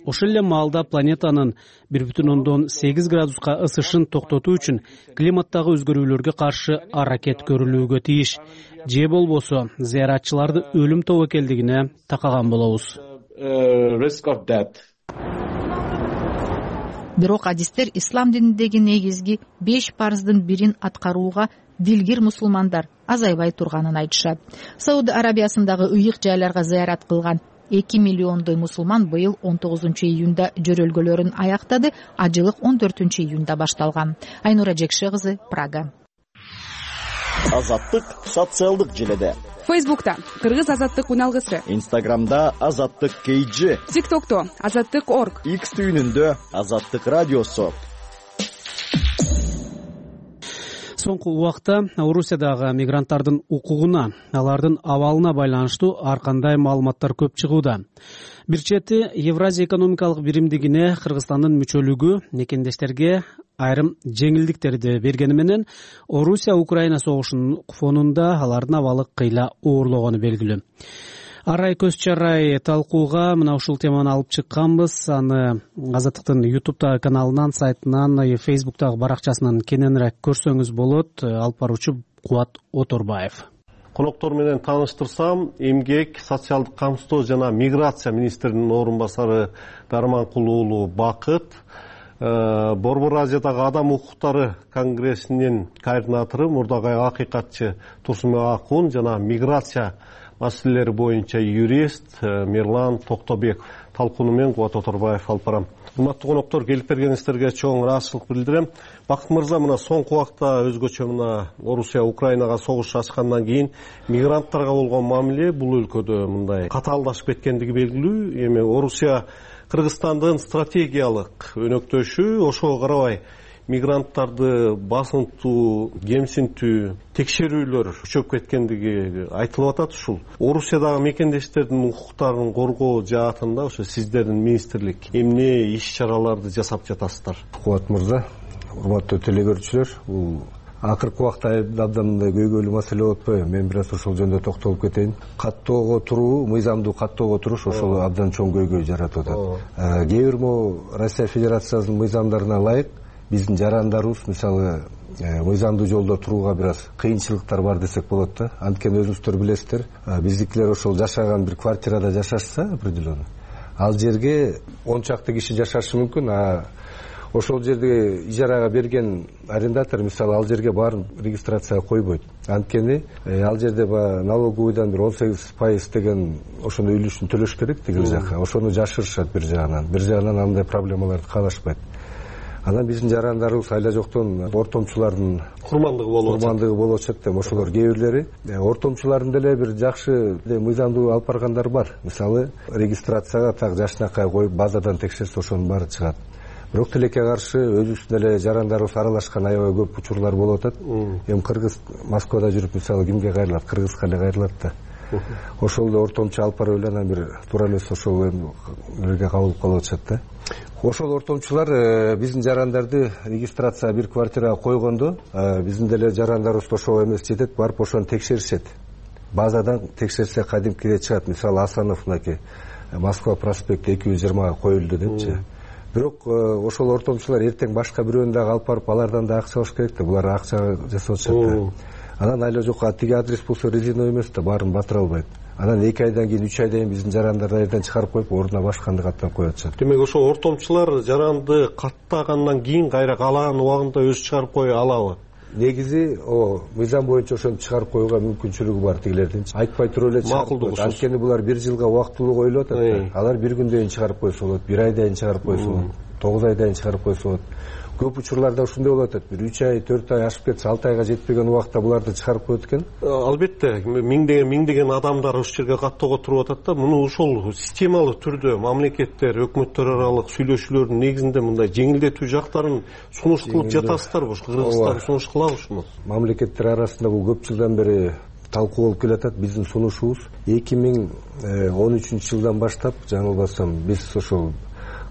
Ошол эле маалда планетанын бир бүтүн ондон сегиз градуска ысышын токтотуу үчүн климаттагы өзгөрүүлөргө каршы аракет көрүлүүгө тийиш. Же болбосо зыяратчыларды өлүм тобокелдигине такаган болобуз. Бирок адистер ислам дининдеги негизги беш парыздын бирин аткарууга дилгир мусулмандар азайбай турганын айтышат. Сауд Арабиясындагы ыйык жайларга зыярат кылган эки миллиондой мусулман быйыл он тогузунчу июнда жөрөлгөлөрүн аяктады. Ажылык он төртүнчү июнда башталган. Айнура Жекше кызы, Прага. Азаттык социалдык желеде. Фейсбукта Кыргыз азаттык уналгысы. Инстаграмда Азаттык Кейджи. ТикТокто Азаттык орг. Икс түйүнүндө Азаттык радиосу. Соңку убакта Орусиядагы мигранттардын укугуна, алардын абалына байланыштуу ар кандай маалыматтар көп чыгууда. Бир чети Евразия экономикалык биримдигине Кыргызстандын мүчөлүгү мекендештерге айрым жеңилдиктерди бергени менен Орусия-Украина согушунун фонунда алардын абалы кыйла оорлогону белгилүү. Арай көз чарай талкууга мына ушул теманы алып чыкканбыз. Аны Азаттыктын YouTube каналынан, сайтынан, Facebook'тагы баракчасынан кененирээк көрсөңүз болот. Алып баруучу Кубат Оторбаев. Коноктор менен тааныштырсам, эмгек, социалдык камсыздоо жана миграция министринин орун басары Дарманкул уулу Бакыт, Борбор Азиядагы адам укуктары конгрессинин координатору мурдагы акыйкатчы Турсунбек Акун жана миграция маселелери боюнча юрист Мирлан Токтобеков талкууну мен Кубат Оторбаев алып барам. Урматтуу коноктор, келип бергениңиздерге чоң ыраазычылык билдирем. Бакыт мырза, мына соңку убакта өзгөчө мына Орусия Украинага согуш ачкандан кийин мигранттарга болгон мамиле бул өлкөдө мындай катаалдашып кеткендиги белгилүү. Эми Орусия Кыргызстандын стратегиялык өнөктөшү, ошого карабай мигранттарды басынтуу, кемсинтүү, текшерүүлөр күчөп кеткендиги айтылып атат. Ушул Орусиядагы мекендештердин укуктарын коргоо жаатында ошо сиздердин министрлик эмне иш чараларды жасап жатасыздар? Кубат мырза, урматтуу теле көрүүчүлөр, бул акыркы убакта абдан мындай көйгөйлүү маселе болуп атпайбы? Мен бир аз ошол жөнүндө токтолуп кетейин. Каттоого туруу, мыйзамдуу каттоого туруш ошол абдан чоң көйгөй жаратып атат. Кээ бир могу Россия Федерациясынын мыйзамдарына ылайык биздин жарандарыбыз мисалы мыйзамдуу жолдо турууга бир аз кыйынчылыктар бар десек болот да. Анткени өзүңүздөр билесиздер, биздикилер ошол жашаган бир квартирада жашашса определенно, ал жерге он чакты киши жашашы мүмкүн, а ошол жерде ижарага берген арендатор мисалы ал жерге баарын регистрацияга койбойт. Анткени ал жерде баягы налоговыйдан бир он сегиз пайыз деген ошондой үлүшүн төлөш керек тигил жака. Ошону жашырышат бир жагынан. Бир жагынан андай проблемаларды каалашпайт. Анан биздин жарандарыбыз айла жоктон ортомчулардын курмандыгы болуп атат. Курмандыгы болуп атат да, ошолор кээ бирлери ортомчулардын деле бир жакшы мыйзамдуу алып баргандар бар. Мисалы регистрацияга так жашынакай коюп базадан текшерсе ошонун баары чыгат. Бирок тилекке каршы өзүбүздүн эле жарандарыбыз аралашкан аябай көп учурлар болуп атат. Эми Кыргыз Москвада жүрүп мисалы кимге кайрылат? Кыргызга эле кайрылат да. Ошол эле ортомчу алып барып эле анан бир туура эмес ошол эмеге кабылып калып атышат да. Ошол ортомчулар биздин жарандарды регистрацияга бир квартирага койгондо биздин деле жарандарыбыз ошого эмес жетет, барып ошону текшеришет. Базадан текшерсе кадимкидей чыгат. Мисалы Асанов мынакей Москва проспекти эки жүз жыйырмага коюлду депчи. Бирок ошол ортомчулар эртең башка бирөөнү дагы алып барып алардан да акча алыш керек да. Булар акча жасап атышат. Анан айла жок тиги адрес болсо резиновый эмес да, баарын батыра албайт. Анан эки айдан кийин, үч айдан кийин биздин жарандарды айдан чыгарып коюп, ордуна башканды каттап коюп атышат. Демек ошо ортомчулар жаранды каттагандан кийин кайра каалаган убагында өзү чыгарып кое алабы? Негизи о мыйзам боюнча ошону чыгарып коюуга мүмкүнчүлүгү бар тигилердинчи. Айтпай туруп эле чыгарып коет. Анткени булар бир жылга убактылуу коюлуп атат. Алар бир күндөн чыгарып койсо болот, бир айдан чыгарып койсо болот, тогуз айдан чыгарып койсо болот. Көп учурларда ушундай болуп атат. Бир үч ай, төрт ай ашып кетсе, алты айга жетпеген убакта буларды чыгарып коет экен. Албетте, миңдеген миңдеген адамдар ушул жерге каттоого туруп атат да. Муну ошол системалуу түрдө мамлекеттер, өкмөттөр аралык сүйлөшүүлөрдүн негизинде мындай жеңилдетүү жактарын сунуш кылып жатасыздарбы? Кыргызстан сунуш кылабы ушуну? Мамлекеттер арасында бул көп жылдан бери талкуу болуп келатат. Биздин сунушубуз эки миң он үчүнчү жылдан баштап, жаңылбасам, биз ошол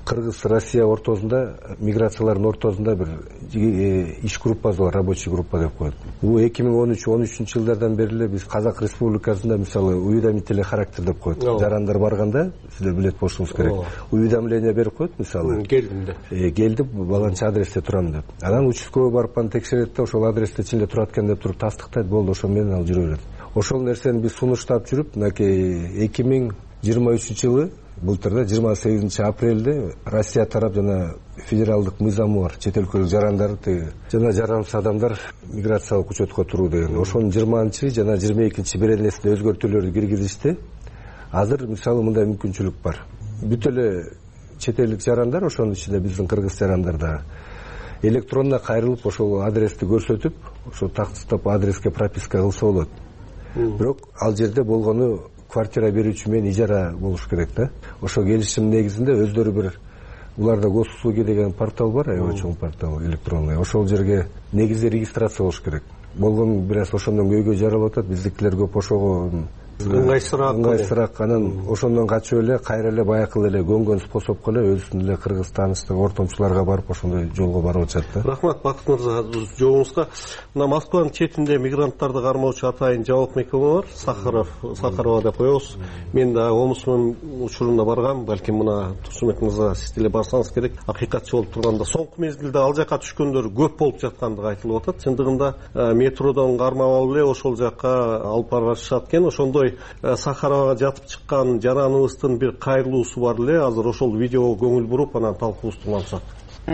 Кыргыз Россия ортосунда, миграциялардын ортосунда бир иш группасы бар, рабочий группа деп коет. Бул эки миң он үч он үчүнчү жылдардан бери эле биз Казак Республикасында мисалы уведомительный характер деп коет. Жарандар барганда, сиздер билет болушуңуз керек. Уведомление берип коет мисалы. Келдим деп. Э, келдим, баланча адресте турам деп. Анан участкой барып аны текшерет да, ошол адресте ичинде турат экен деп туруп тастыктайт, болду, ошо менен ал жүрө берет. Ошол нерсени биз сунуштап жүрүп, мынакей эки миң жыйырма үчүнчү жылы былтыр да жыйырма сегизинчи апрелде Россия тарап жана федералдык мыйзамы бар, чет өлкөлүк жарандар жана жарансыз адамдар миграциялык учетко туруу деген. Ошонун жыйырманчы жана жыйырма экинчи беренесине өзгөртүүлөрдү киргизишти. Азыр мисалы мындай мүмкүнчүлүк бар. Бүт эле чет элдик жарандар, ошонун ичинде биздин кыргыз жарандар да электронно кайрылып ошол адрести көрсөтүп, ошо тактыстап адреске прописка кылса болот. Бирок ал жерде болгону квартира берүүчү менен ижара болуш керек да. Ошо келишим негизинде өздөрү бир, уларда госуслуги деген портал бар, аябай чоң портал электронный. Ошол жерге негизи регистрация болуш керек. Болгон бир аз ошондон көйгөй жаралып атат. Биздикилер көп ошого ыңгайсыраак ыңгайсыраак анан ошондон качып эле кайра эле баякы эле көнгөн способко эле өзүнүн эле кыргыз тааныштык ортомчуларга барып ошондой жолго барып атышат да. Рахмат Бакыт мырза жообуңузга. Мына Москванын четинде мигранттарды кармоочу атайын жабык мекеме бар, Сахаров, Сахарова деп коебуз. Мен да Омусмун учурунда баргам, балким мына Турсунбек мырза сиз деле барсаңыз керек. Акыйкатчы болуп турганда соңку мезгилде ал жака түшкөндөр көп болуп жаткандыгы айтылып атат. Чындыгында метродон кармап алып эле ошол жака алып барышат экен. Ошондой Сахаровага жатып чыккан жараныбыздын бир кайрылуусу бар эле. Азыр ошол видеого көңүл буруп анан талкуубузду улантсак.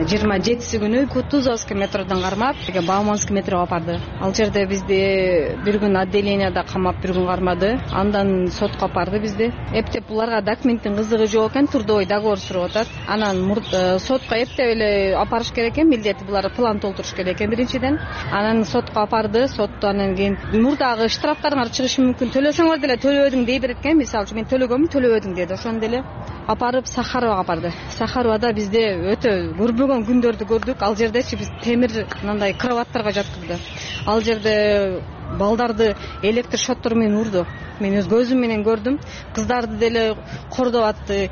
жыйырма жетиси күнү Кутузовский метродон кармап Бауманский метрого апарды. Ал жерде бизди бир күн отделенияда камап, бир күн кармады. Андан сотко апарды бизди. Эптеп буларга документтин кызыгы жок экен, трудовой договор сурап атат. Анан сотко эптеп эле апарыш керек экен, милдети булар план толтуруш керек экен биринчиден. Анан сотко апарды. Сотто анан кийин мурдагы штрафтарыңар чыгышы мүмкүн, төлөсөңөр деле төлөбөдүң дей берет экен. Мисалы үчүн мен төлөгөмүн, төлөбөдүң деди. Ошондо деле апарып Сахаровага апарды. Сахаровада бизде өтө көрбөгөн күндөрдү көрдүк. Ал жердечи биз темир мындай кроваттарга жаткызды. Ал жерде балдарды электр шоттор менен урду. Мен өз көзүм менен көрдүм. Кыздарды деле кордоп атты.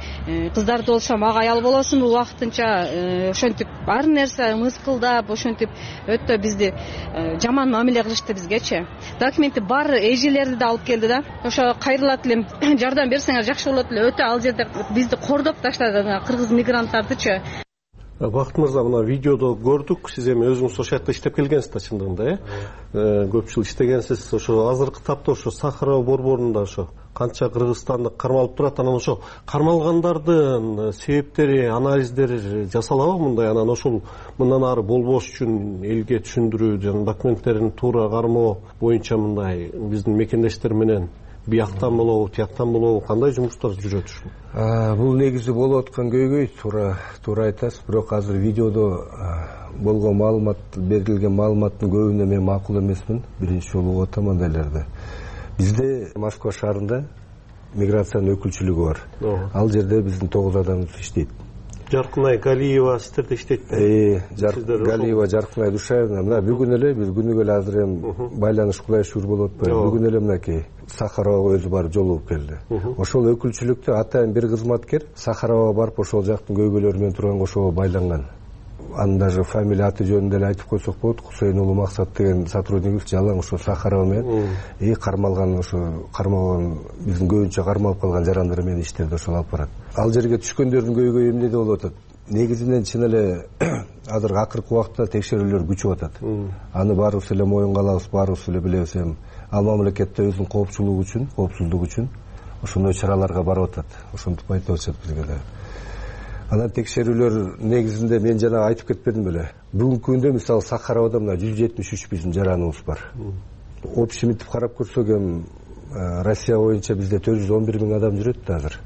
Кыздарды болсо мага аял болосуңбу убактынча ошентип ар нерсе мыскылдап, ошентип өтө бизди жаман мамиле кылышты бизгечи. Документи бар эжелерди да алып келди да. Ошо кайрылат элем, жардам берсеңер жакшы болот эле. Өтө ал жерде бизди кордоп таштады кыргыз мигранттардычы. Бакыт мырза, мына видеодо көрдүк, сиз эми өзүңүз ошол жакта иштеп келгенсиз да, чындыгында, э? Көп жыл иштегенсиз. Ошо азыркы тапта ошо Сахарова борборунда ошо канча кыргызстандык кармалып турат, анан ошо кармалгандардын себептери, анализдери жасалабы мындай? Анан ошол мындан ары болбош үчүн элге түшүндүрүү жана документтерин туура кармоо боюнча мындай биздин мекендештер менен бияктан болобу, тияктан болобу кандай жумуштар жүрөт ушул? Бул негизи болуп аткан көйгөй, туура туура айтасыз. Бирок азыр видеодо болгон маалымат, берилген маалыматтын көбүнө мен макул эмесмин. Биринчи жолу угуп атам андайларды. Бизде Москва шаарында миграциянын өкүлчүлүгү бар. Ал жерде биздин тогуз адамыбыз иштейт. Жаркынай Галиева сиздерде иштейт. Э, Галиева, Жаркынай Душаевна. Мына бүгүн эле биз күнүгө эле азыр эми байланыш кулай шур болуп атпайбы. Бүгүн эле мынакей Сахаровага өзү барып жолугуп келди. Ошол өкүлчүлүктө атайын бир кызматкер Сахаровага барып ошол жактын көйгөйлөрү менен турган ошого байланган. Анын даже фамилия аты жөнүн деле айтып койсок болот. Кусейн уулу Максат деген сотруднигибиз жалаң ошо Сахарова менен и кармалган ошо кармалган биздин көбүнчө кармалып калган жарандар менен иштерди ошол алып барат. Ал жерге түшкөндөрдүн көйгөйү эмнеде болуп атат? Негизинен чын эле азыр акыркы убакта текшерүүлөр күчүп атат. Аны баарыбыз эле моюнга алабыз, баарыбыз эле билебиз. Эми ал мамлекетте өзүнүн коопчулугу үчүн, коопсуздугу үчүн ошондой чараларга барып атат. Ошентип айтып атышат бизге да. Анан текшерүүлөр негизинде мен жана айтып кетпедим беле. Бүгүнкү күндө мисалы Сахаровада мына жүз жетимиш үч биздин жараныбыз бар. Общемитип карап көрсөк эми Россия боюнча бизде төрт жүз он бир миң адам жүрөт да азыр.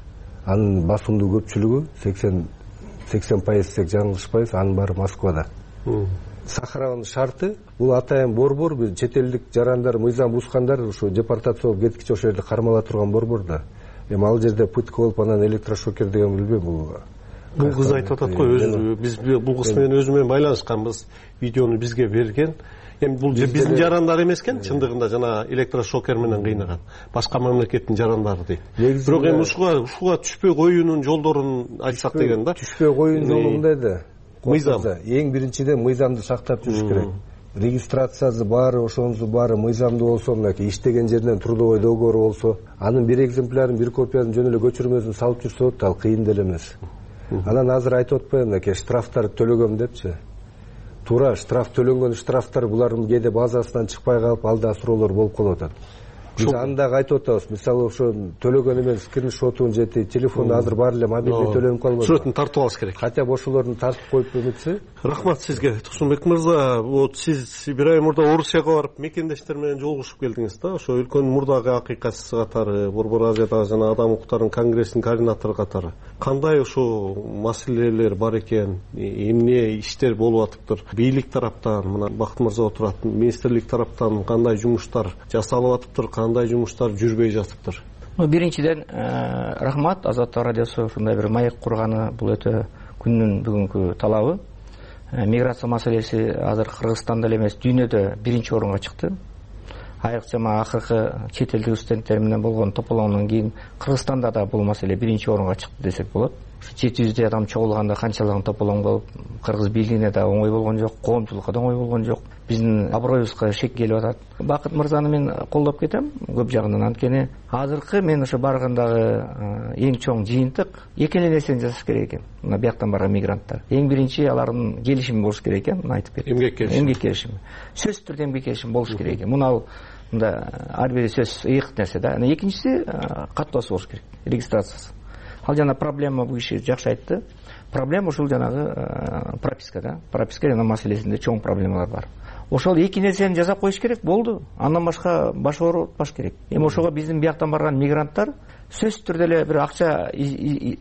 Анын басымдуу көпчүлүгү сексен пайыз десек жаңылышпайбыз, анын баары Москвада. Сахарованын шарты бул атайын борбор, бир чет элдик жарандар, мыйзам бузгандар ушу депортация болуп кеткиче ошол жерде кармала турган борбор да. Эми ал жерде пытка болуп анан электрошокер деген билбейм бул. Бул кыз айтып атат го, өзү биз бул кыз менен өзү менен байланышканбыз, видеону бизге берген. Эми бул биздин жарандар эмес экен, чындыгында жана электрошокер менен кыйнаган. Башка мамлекеттин жарандары дейт. Бирок эми ушуга ушуга түшпөй коюунун жолдорун айтсак деген да. Түшпөй коюунун жолу мындай да. Мыйзам. Эң биринчиден мыйзамды сактап жүрүш керек. Регистрациясы баары, ошонусу баары мыйзамдуу болсо, мынакей иштеген жеринен трудовой договор болсо, анын бир экземплярын, бир копиясын жөн эле көчүрмөсүн салып жүрсө болот, ал кыйын деле эмес. Анан азыр айтып атпаймынбы, мынакей штрафтарды төлөгөм депчи. Туура штраф төлөнгөн штрафтар булардын кээде базасынан чыкпай калып, алда суроолор болуп калып атат. биз аны дагы айтып атабыз. Мисалы ошо төлөгөн эмен скриншотун же телефону азыр бар эле мобилдий төлөнүп калбайбы? Сүрөтүн тартып алыш керек. Хотя бы ошолорду тартып коюп эметсе. Рахмат сизге, Турсунбек мырза. Вот сиз бир ай мурда Орусияга барып мекендештер менен жолугушуп келдиңиз да. Ошо өлкөнүн мурдагы акыйкатчысы катары, Борбор Азиядагы жана Адам укуктарынын конгрессинин координатору катары кандай ошо маселелер бар экен, эмне иштер болуп атыптыр? Бийлик тараптан, мына Бакыт мырза отурат, министрлик тараптан кандай жумуштар жасалып атыптыр, кандай жумуштар жүрбөй жатыптыр? Биринчиден рахмат, Азаттык радиосу ушундай бир маек курганы бул өтө күндүн бүгүнкү талабы. Миграция маселеси азыр Кыргызстанда эле эмес, дүйнөдө биринчи орунга чыкты. Айрыкча акыркы чет элдик студенттер менен болгон тополоңдон кийин Кыргызстанда да бул маселе биринчи орунга чыкты десек болот. жети жүздөй адам чогулганда канчалаган тополоң болуп, кыргыз бийлигине да оңой болгон жок, коомчулукка да оңой болгон жок. Биздин аброюбузга шек келип атат. Бакыт мырзаны мен колдоп кетем көп жагынан. Анткени азыркы мен ошо баргандагы эң чоң жыйынтык эки эле нерсени жасаш керек экен. Мына бияктан барган мигранттар. Эң биринчи алардын келишими болуш керек экен. Мына айтып кетем. Эмгек келишими. Эмгек келишими. Сөзсүз түрдө эмгек келишими болуш керек экен. Муну ал мында ар бир сөз ыйык нерсе да. Анан экинчиси каттоосу болуш керек. Регистрациясы. Ал жана проблема бул киши жакшы айтты. Проблема ушул жанагы прописка да. Прописка жана маселесинде чоң проблемалар бар. Ошол эки нерсени жасап коюш керек болду. Андан башка баш оорутпаш керек. Эми ошого биздин бияктан барган мигранттар сөзсүз түрдө эле бир акча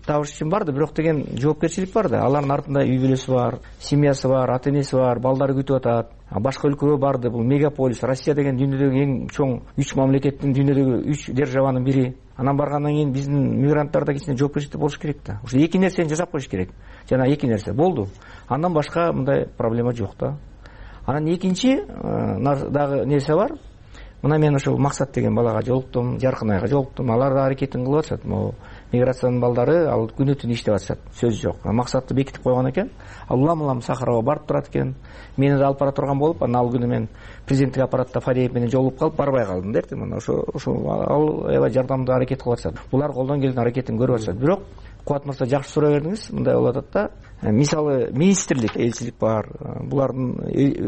табыш үчүн барды, бирок деген жоопкерчилик бар да. Алардын артында үй бүлөсү бар, семьясы бар, ата энеси бар, балдары күтүп атат. Башка өлкөгө барды. Бул мегаполис. Россия деген дүйнөдөгү эң чоң үч мамлекеттин, дүйнөдөгү үч державанын бири. Анан баргандан кийин биздин мигранттарда кичине жоопкерчилик болуш керек да. Ошо эки нерсени жасап коюш керек. Жана эки нерсе болду. Андан башка мындай проблема жок да. Анан экинчи дагы нерсе бар. Мына мен ошол Максат деген балага жолуктум, Жаркынайга жолуктум. Алар да аракетин кылып атышат. Могу миграциянын балдары ал күнү түнү иштеп атышат. Сөз жок. Максатты бекитип койгон экен. Ал улам-улам Сахарова барып турат экен. Мени да алып бара турган болуп, анан ал күнү мен президенттик аппаратта Фадеев менен жолугуп калып барбай калдым да. Мына ошо ошо ал аябай жардамдуу аракет кылып атышат. Булар колдон келген аракетин көрүп атышат. Бирок Кубат мырза жакшы суроо бердиңиз. Мындай болуп атат да. Мисалы министрлик, элчилик бар, булардын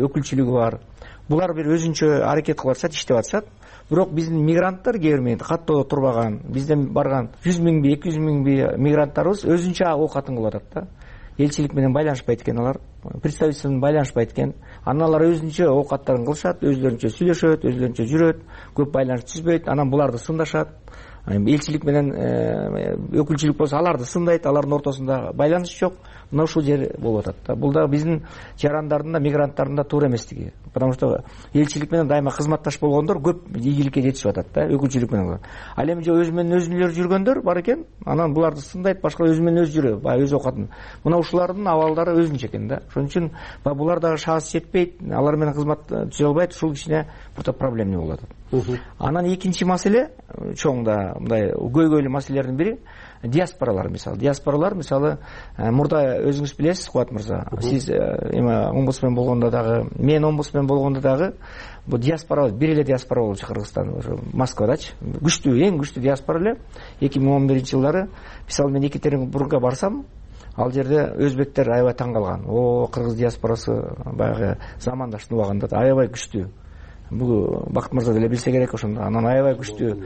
өкүлчүлүгү бар. Булар бир өзүнчө аракет кылып атышат, иштеп атышат. Бирок биздин мигранттар кээ бир менде каттоодо турбаган, бизден барган жүз миңби, эки жүз миңби мигранттарыбыз өзүнчө оокатын кылып атат да. Элчилик менен байланышпайт экен алар, представительство менен байланышпайт экен. Анан алар өзүнчө оокаттарын кылышат, өзлөрүнчө сүйлөшөт, өзлөрүнчө жүрөт, көп байланыш түзбөйт, анан буларды сындашат. Элчилик менен өкүлчүлүк болсо аларды сындайт, алардын ортосунда байланыш жок. Мына ушул жер болуп атат да. Бул да биздин жарандардын да, мигранттардын да туура эместиги. Потому что элчилик менен дайыма кызматташ болгондор көп ийгиликке жетишип атат да, өкүлчүлүк менен. Ал эми өзү менен өзүнүлөр жүргөндөр бар экен, анан буларды сындайт, башка өзү менен өзү жүрөт, баягы өз оокатын. Мына ушулардын абалдары өзүнчө экен да. Ошон үчүн булар дагы шанс жетпейт, алар менен кызмат түзө албайт, ушул кичине бирта проблема болуп атат. Анан экинчи маселе, чоң да мындай көйгөйлүү маселелердин бири диаспоралар. Мисалы диаспоралар, мисалы мурда өзүңүз билесиз, Кубат мырза, сиз эми омбудсмен болгондо дагы, мен омбудсмен болгондо дагы бул диаспора бир эле диаспора болчу Кыргызстан, ошо Москвадачы. Күчтүү, эң күчтүү диаспора эле. эки миң он биринчи жылдары мисалы мен Екатеринбургга барсам, ал жерде өзбектер аябай таң калган. О, кыргыз диаспорасы баягы замандаштын убагында аябай күчтүү. Бул Бакыт мырза деле билсе керек ошондо. Анан аябай күчтүү.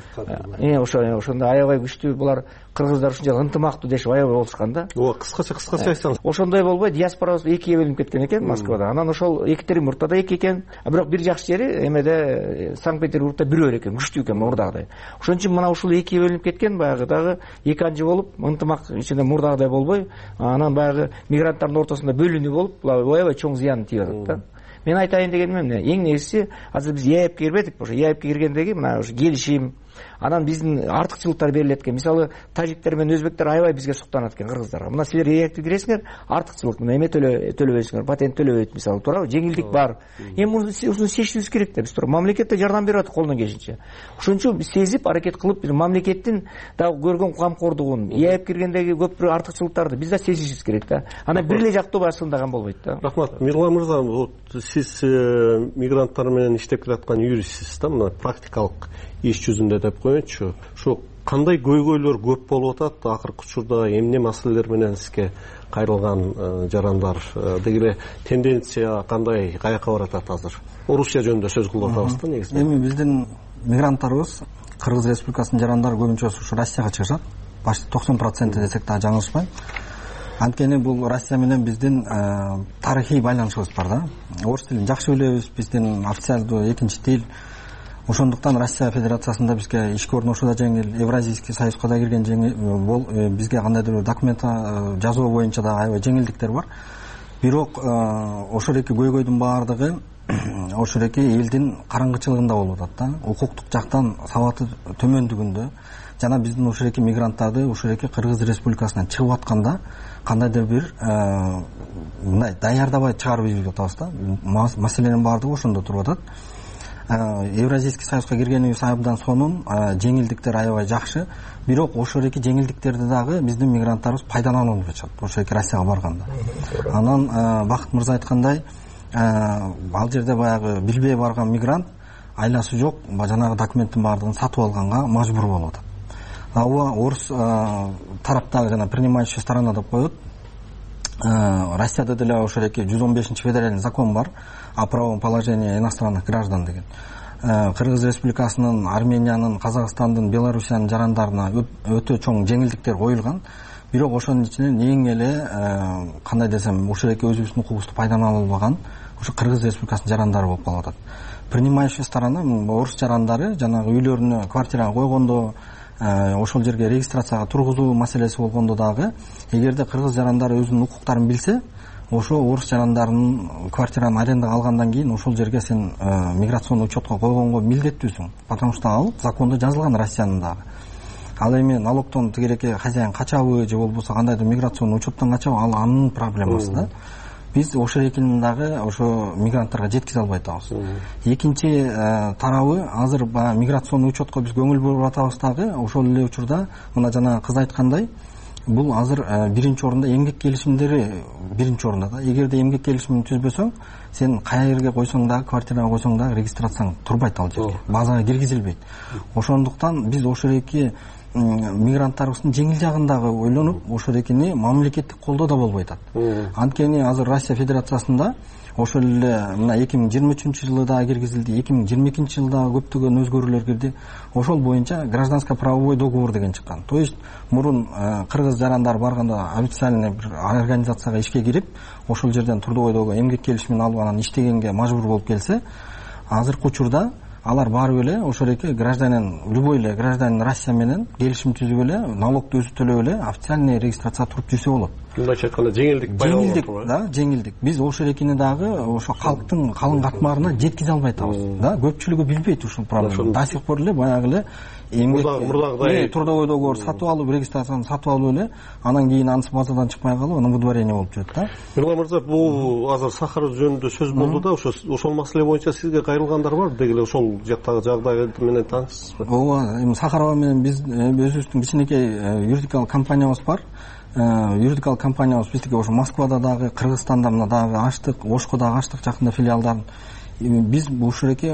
Э, ошо ошондо аябай күчтүү. Булар кыргыздар ушунчалык ынтымактуу дешип аябай болушкан да. О, кыскача кыскача айтсаңыз. Ошондой болбой, диаспорабыз экиге бөлүнүп кеткен экен Москвада. Анан ошол Екатеринбургда да эки экен. Бирок бир жакшы жери эмеде Санкт-Петербургда бирөө экен, күчтүү экен мурдагыдай. Ошон үчүн мына ушул экиге бөлүнүп кеткен, баягы дагы эки анжы болуп, ынтымак ичинде мурдагыдай болбой, анан баягы мигранттардын ортосунда бөлүнүү болуп, аябай чоң зыян тийип атат да. Мен айтайын дегеним эмне? Эң негизгиси, азыр биз ЕАЭПке кирбедик, ошо ЕАЭПке киргендеги мына ошо келишим, анан биздин артыкчылыктар берилет экен. Мисалы, тажиктер менен өзбектер аябай бизге суктанат экен кыргыздарга. Мына силер ЕАЭПке киресиңер, артыкчылык мына эме төлөбөйсүңөр, патент төлөбөйт мисалы, туурабы? Жеңилдик бар. Эми муну чечишибиз керек да, биз туурабы? Мамлекет жардам берип атат колунан келишинче. Ошон үчүн биз сезип, аракет кылып, биз мамлекеттин дагы көргөн камкордугун, ЕАЭП киргендеги көп бир артыкчылыктарды биз да сезишибиз керек да. Анан бир эле жактуу баягы сындаган болбойт да. Рахмат. Мирлан мырза, вот сиз мигранттар менен иштеп келаткан юристсиз да, мына практикалык иш жүзүндө деп коеюнчу. Ошо кандай көйгөйлөр көп болуп атат акыркы учурда, эмне маселелер менен сизге кайрылган жарандар, деги эле тенденция кандай, каяка баратат азыр? Орусия жөнүндө сөз кылып атабыз да негизи. Эми биздин мигранттарыбыз Кыргыз Республикасынын жарандары көбүнчө ушу Россияга чыгышат. Почти токсон проценти десек да жаңылышпайм. Анткени бул Россия менен биздин тарыхый байланышыбыз бар да. Орус тилин жакшы билебиз, биздин официалдуу экинчи тил. Ошондуктан Россия Федерациясында бизге ишке орношуу да жеңил, Евразийский союзга да кирген жеңил, бизге кандайдыр бир документ жазуу боюнча да аябай жеңилдиктер бар. Бирок ошол эки көйгөйдүн баардыгы ошол эки элдин караңгычылыгында болуп атат да. Укуктук жактан сабаты төмөндүгүндө жана биздин ошол эки мигранттарды ошол эки Кыргыз Республикасынан чыгып атканда кандайдыр бир мындай даярдабай чыгарып ийип атабыз да. Маселенин баардыгы ошондо туруп атат. Евразийский союзга киргенибиз абдан сонун, жеңилдиктер аябай жакшы. Бирок ошол эки жеңилдиктерди дагы биздин мигранттарыбыз пайдаланып атышат ошол эки Россияга барганда. Анан Бакыт мырза айткандай, ал жерде баягы билбей барган мигрант айласы жок, жанагы документтин баардыгын сатып алганга мажбур болуп атат. Ага орус тараптагы жана принимающая сторона деп коет. Россияда деле ошол эки жүз он бешинчи федеральный закон бар о правовом положении иностранных граждан деген. Кыргыз Республикасынын, Армениянын, Казакстандын, Белоруссиянын жарандарына өтө чоң жеңилдиктер коюлган. Бирок ошонун ичинен эң эле кандай десем, ошол эки өзүбүздүн укугубузду пайдалана албаган ошо Кыргыз Республикасынын жарандары болуп калып атат. Принимающая сторона орус жарандары жанагы үйлөрүнө квартирага койгондо, ошол жерге регистрацияга тургузуу маселеси болгондо дагы, эгерде кыргыз жарандары өзүнүн укуктарын билсе, ошо орус жарандарынын квартираны арендага алгандан кийин ошол жерге сен миграционный учетко койгонго милдеттүүсүң, потому что ал закондо жазылган Россиянын дагы. Ал эми налогтон тигереки хозяин качабы же болбосо кандайдыр миграционный учеттон качабы, ал анын проблемасы да. Биз ошол экинин дагы ошо мигранттарга жеткизе албай атабыз. Экинчи тарабы, азыр баягы миграционный учетко биз көңүл буруп атабыз дагы, ошол эле учурда мына жана кыз айткандай, бул азыр биринчи орунда эмгек келишимдери биринчи орунда да. Эгерде эмгек келишимин түзбөсөң, сен кай жерге койсоң дагы, квартирага койсоң дагы регистрацияң турбайт ал жерге, базага киргизилбейт. Ошондуктан биз ошол эки мигранттарыбыздын жеңил жагын дагы ойлонуп, ошол экини мамлекеттик колдоо да болбой атат. Анткени азыр Россия Федерациясында ошол эле мына эки миң жыйырма үчүнчү жылы да киргизилди, эки миң жыйырма экинчи жылда көптөгөн өзгөрүүлөр кирди. Ошол боюнча гражданско-правовой договор деген чыккан. То есть мурун кыргыз жарандар барганда официальный бир организацияга ишке кирип, ошол жерден трудовойдогу эмгек келишимин алып анан иштегенге мажбур болуп келсе, азыркы учурда алар барып эле ошол эки гражданин, любой эле гражданин Россия менен келишим түзүп эле, налогду өзү төлөп эле официальный регистрация туруп жүрсө болот. Мындайча айтканда жеңилдик пайда болот. Жеңилдик, да, жеңилдик. Биз ошол экини дагы ошо калктын калың катмарына жеткизе албай атабыз. Да, көпчүлүгү билбейт ушул проблеманы. До сих пор эле баягы эле эмгек мурдагыдай трудовой договор сатып алып, регистрацияны сатып алып эле, анан кийин анысы базадан чыкпай калып, анан выдворение болуп жүрөт да. Мырлан мырза, бул азыр Сахаров жөнүндө сөз болду да, ошо ошол маселе боюнча сизге кайрылгандар бар, деги эле ошол жактагы жагдай менен таанышсызбы? Ооба, эми Сахарова менен биз өзүбүздүн кичинекей юридикалык компаниябыз бар. Юридикалык компаниябыз биздики ошо Москвада дагы, Кыргызстанда мына дагы ачтык, Ошко дагы ачтык жакында филиалдарын. Биз ушул эки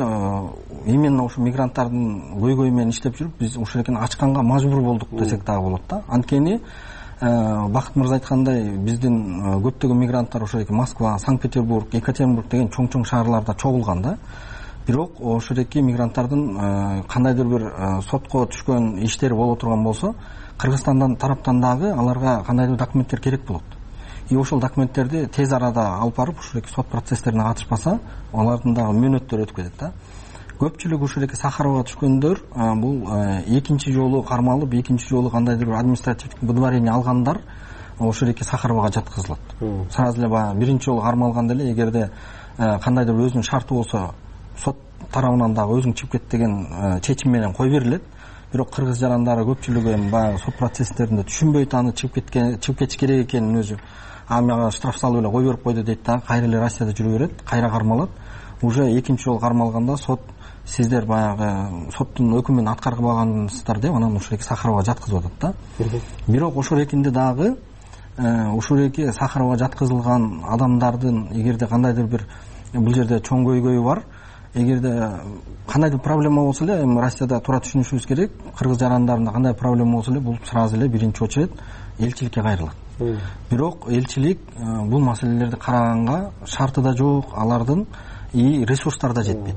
именно ошо мигранттардын көйгөйү менен иштеп жүрүп, биз ушул экини ачканга мажбур болдук десек дагы болот да. Анткени Бакыт мырза айткандай, биздин көптөгөн мигранттар ошо эки Москва, Санкт-Петербург, Екатеринбург деген чоң-чоң шаарларда чогулган да. Бирок ошол эки мигранттардын кандайдыр бир сотко түшкөн иштери боло турган болсо, Кыргызстандан тараптан дагы аларга кандайдыр документтер керек болот. И ошол документтерди тез арада алып барып, ушул эки сот процесстерине катышпаса, алардын дагы мөөнөттөрү өтүп кетет да. Көпчүлүк ушул эки Сахарова түшкөндөр бул экинчи жолу кармалып, экинчи жолу кандайдыр бир административдик выдворение алгандар ошол эки Сахаровага жаткызылат. Сразу эле баягы биринчи жолу кармалган деле, эгерде кандайдыр бир өзүнүн шарты болсо, сот тарабынан дагы өзүң чыгып кет деген чечим менен кой берилет. Бирок кыргыз жарандары көпчүлүгү эми баягы сот процесстеринде түшүнбөйт, аны чыгып кеткен, чыгып кетиш керек экенин өзү. А мага штраф салып эле кой берип койду дейт да, кайра эле Россияда жүрө берет, кайра кармалат. Уже экинчи жолу кармалганда сот сиздер баягы соттун өкүмүн аткарбагансыздар деп анан ушул эки Сахаровага жаткызып атат да. Бирок ошол экинде дагы ушул эки Сахаровага жаткызылган адамдардын эгерде кандайдыр бир бул жерде чоң көйгөйү бар, эгерде кандайдыр проблема болсо эле, эми Россияда туура түшүнүшүбүз керек, кыргыз жарандарында кандай проблема болсо эле бул сразу эле биринчи очередь элчиликке кайрылат. Бирок элчилик бул маселелерди караганга шарты да жок, алардын и ресурстары да жетпейт.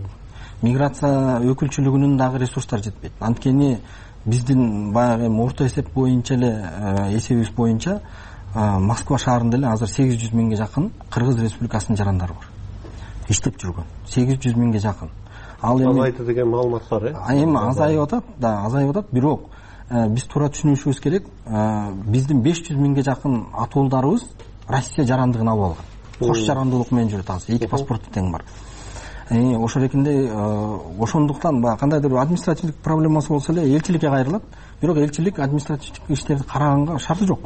миграция өкүлчүлүгүнүн дагы ресурстары жетпейт. Анткени биздин баягы эми орто эсеп боюнча эле эсебибиз боюнча Москва шаарында эле азыр сегиз жүз миңге жакын Кыргыз Республикасынын жарандары бар. Иштеп жүргөн сегиз жүз миңге жакын. Ал эми азайды деген маалымат бар, э? Эми азайып атат, да, азайып атат, бирок биз туура түшүнүшүбүз керек. Биздин беш жүз миңге жакын атуулдарыбыз Россия жарандыгын алып алган. Кош жарандуулук менен жүрөт азыр. Эки паспорту тең бар. Ошол эле ошондуктан баягы кандайдыр бир административдик проблемасы болсо эле элчиликке кайрылат. Бирок элчилик административдик иштерди караганга шарты жок.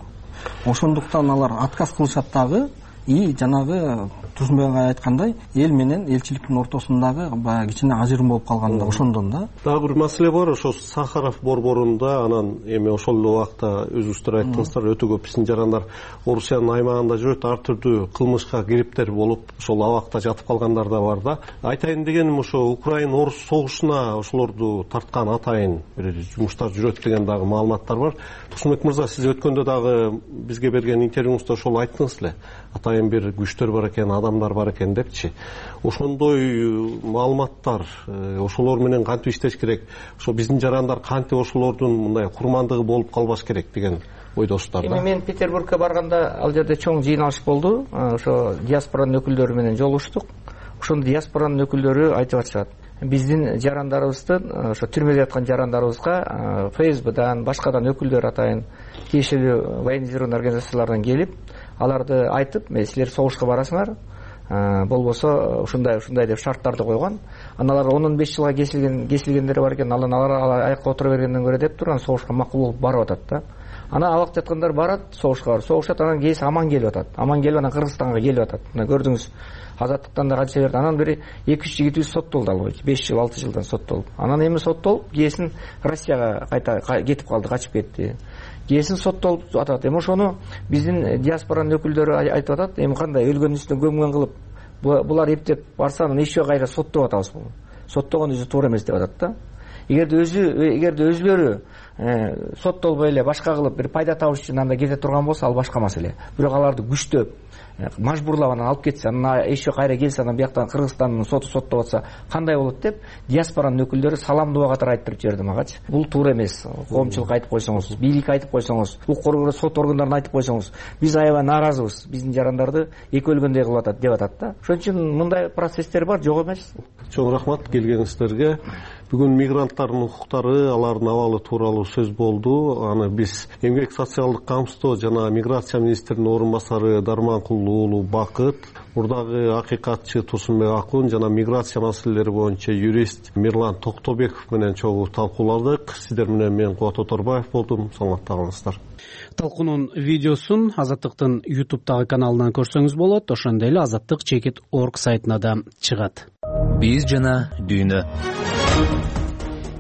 Ошондуктан алар отказ кылышат дагы. И жанагы Турсунбек агай айткандай, эл менен элчиликтин ортосундагы баягы кичине ажырым болуп калган да ошондон да. Дагы бир маселе бар, ошо Сахаров борборунда анан эми ошол эле убакта өзүңүздөр айттыңыздар, өтө көп биздин жарандар Орусиянын аймагында жүрөт, ар түрдүү кылмышка кириптер болуп, ошол абакта жатып калгандар да бар да. Айтайын дегеним ошо Украина Орус согушуна ошолорду тарткан атайын бир жумуштар жүрөт деген дагы маалыматтар бар. Турсунбек мырза, сиз өткөндө дагы бизге берген интервьюңузда ошол айттыңыз эле. Атайын бир күчтөр бар экен, адамдар бар экен депчи. Ошондой маалыматтар, ошолор менен кантип иштеш керек? Ошо биздин жарандар кантип ошолордун мындай курмандыгы болуп калбаш керек деген ойдосуздар да. Эми мен Петербургка барганда ал жерде чоң жыйналыш болду. Ошо диаспоранын өкүлдөрү менен жолугуштук. Ошондо диаспоранын өкүлдөрү айтып атышат. Биздин жарандарыбыздын, ошо түрмөдө яткан жарандарыбызга ФСБдан, башкадан өкүлдөр атайын тиешелүү военизированный организациялардан келип, аларды айтып, мен силер согушка барасыңар, болбосо ушундай ушундай деп шарттарды койгон. Аналар он беш жылга кесилген кесилгендери бар экен, алар алар аякка отура бергенден көрө деп турган согушка макул болуп барып атат да. Ана абакта жаткандар барат, согушка барып согушат, анан кээси аман келип атат. Аман келип анан Кыргызстанга келип атат. Мына көрдүңүз, Азаттыктан да канча берди. Анан бери эки жүз жигитибиз соттолду албай, беш жыл алты жылдан соттолуп. Анан эми соттолуп, кээсин Россияга кайта кетип калды, качып кетти. Кээсин соттолуп атат. Эми ошону биздин диаспоранын өкүлдөрү айтып атат. Эми кандай өлгөн үстүнө көмгөн кылып, булар эптеп барса, анан еще кайра соттоп атабыз. Соттогон өзү туура эмес деп атат да. Эгерде өзү эгерде өзүлөрү соттолбой эле башка кылып бир пайда табыш үчүн анда кете турган болсо, ал башка маселе. Бирок аларды күчтөп, мажбурлап анан алып кетсе, анан еще кайра келсе, анан бияктан Кыргызстандын соту соттоп атса, кандай болот деп диаспоранын өкүлдөрү саламдуу катары айтып жиберди магачы. Бул туура эмес. Коомчулукка айтып койсоңуз, бийликке айтып койсоңуз, укук коргоо сот органдарына айтып койсоңуз, биз аябай нааразыбыз. Биздин жарандарды эки өлгөндөй кылып атат деп атат да. Ошон үчүн мындай процесстер бар, жок эмес. Чоң рахмат келгениңиздерге. Бүгүн мигранттардын укуктары, алардын абалы тууралуу сөз болду. Аны биз Эмгек социалдык камсыздоо жана миграция министринин орун басары Дарманкул уулу Бакыт, мурдагы акыйкатчы Турсунбек Акун жана миграция маселелери боюнча юрист Мирлан Токтобеков менен чогуу талкууладык. Сиздер менен мен Кубат Оторбаев болдум. Саламатта калыңыздар. Талкуунун видеосун Азаттыктын ютубтагы каналынан көрсөңүз болот. Ошондой эле азаттык чекит точка орг сайтына да чыгат. Биз жана дүйнө.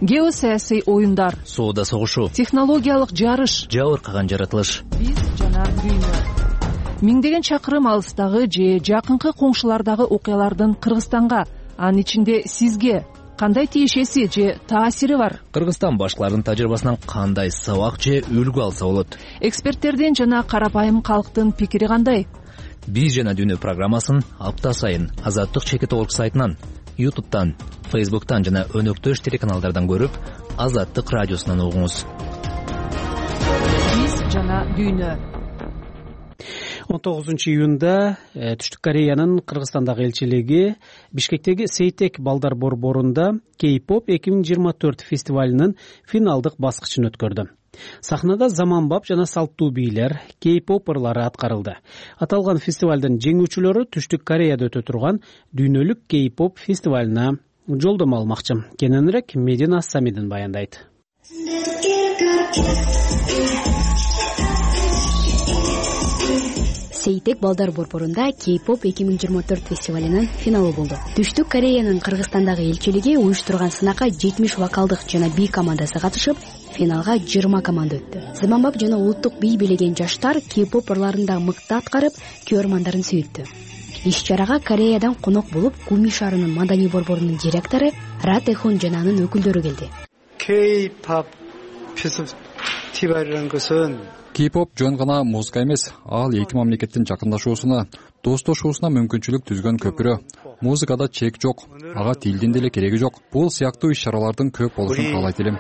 Геосаясий оюндар, соода согушу, технологиялык жарыш, жабыркаган жаратылыш. Биз жана дүйнө. Миңдеген чакырым алыстагы же жакынкы коңшулардагы окуялардын Кыргызстанга, анын ичинде сизге кандай тиешеси же таасири бар? Кыргызстан башкалардын тажрыйбасынан кандай сабак же үлгү алса болот? Эксперттердин жана карапайым калктын пикири кандай? Биз жана дүйнө программасын апта сайын азаттык чекит точка орг сайтынан, ютубтан, фейсбуктан жана өнөктөш телеканалдардан көрүп, Азаттык радиосунан угуңуз. Биз жана дүйнө. он тогузунчу июнда Түштүк Кореянын Кыргызстандагы элчилиги Бишкектеги Сейтек балдар борборунда Кей-поп эки миң жыйырма төрт фестивалынын финалдык баскычын өткөрдү. Сахнада заманбап жана салттуу бийлер, кей-поп ырлары аткарылды. Аталган фестивалдын жеңүүчүлөрү Түштүк Кореяда өтө турган дүйнөлүк кей-поп фестивалына жолдомо алмакчы. Кененирээк Медина Самидин баяндайт. Сейтек балдар борборунда Кей-поп эки миң жыйырма төрт фестивалынын финалы болду. Түштүк Кореянын Кыргызстандагы элчилиги уюштурган сынакка жетимиш вокалдык жана би командасы катышып, финалга жыйырма команда өттү. Заманбап жана улуттук би билеген жаштар кей-поп ырларында мыкты аткарып, көрөрмандарын сүйүттү. Иш-чарага Кореядан конок болуп, Гуми шаарынын маданий борборунун директору Ра Тэхун жана анын өкүлдөрү келди. K-pop кей-поп жөн гана музыка эмес, ал эки мамлекеттин жакындашуусуна, достошуусуна мүмкүнчүлүк түзгөн көпүрө. Музыкада чек жок, ага тилдин деле кереги жок. Бул сыяктуу иш-чаралардын көп болушун каалайт элем.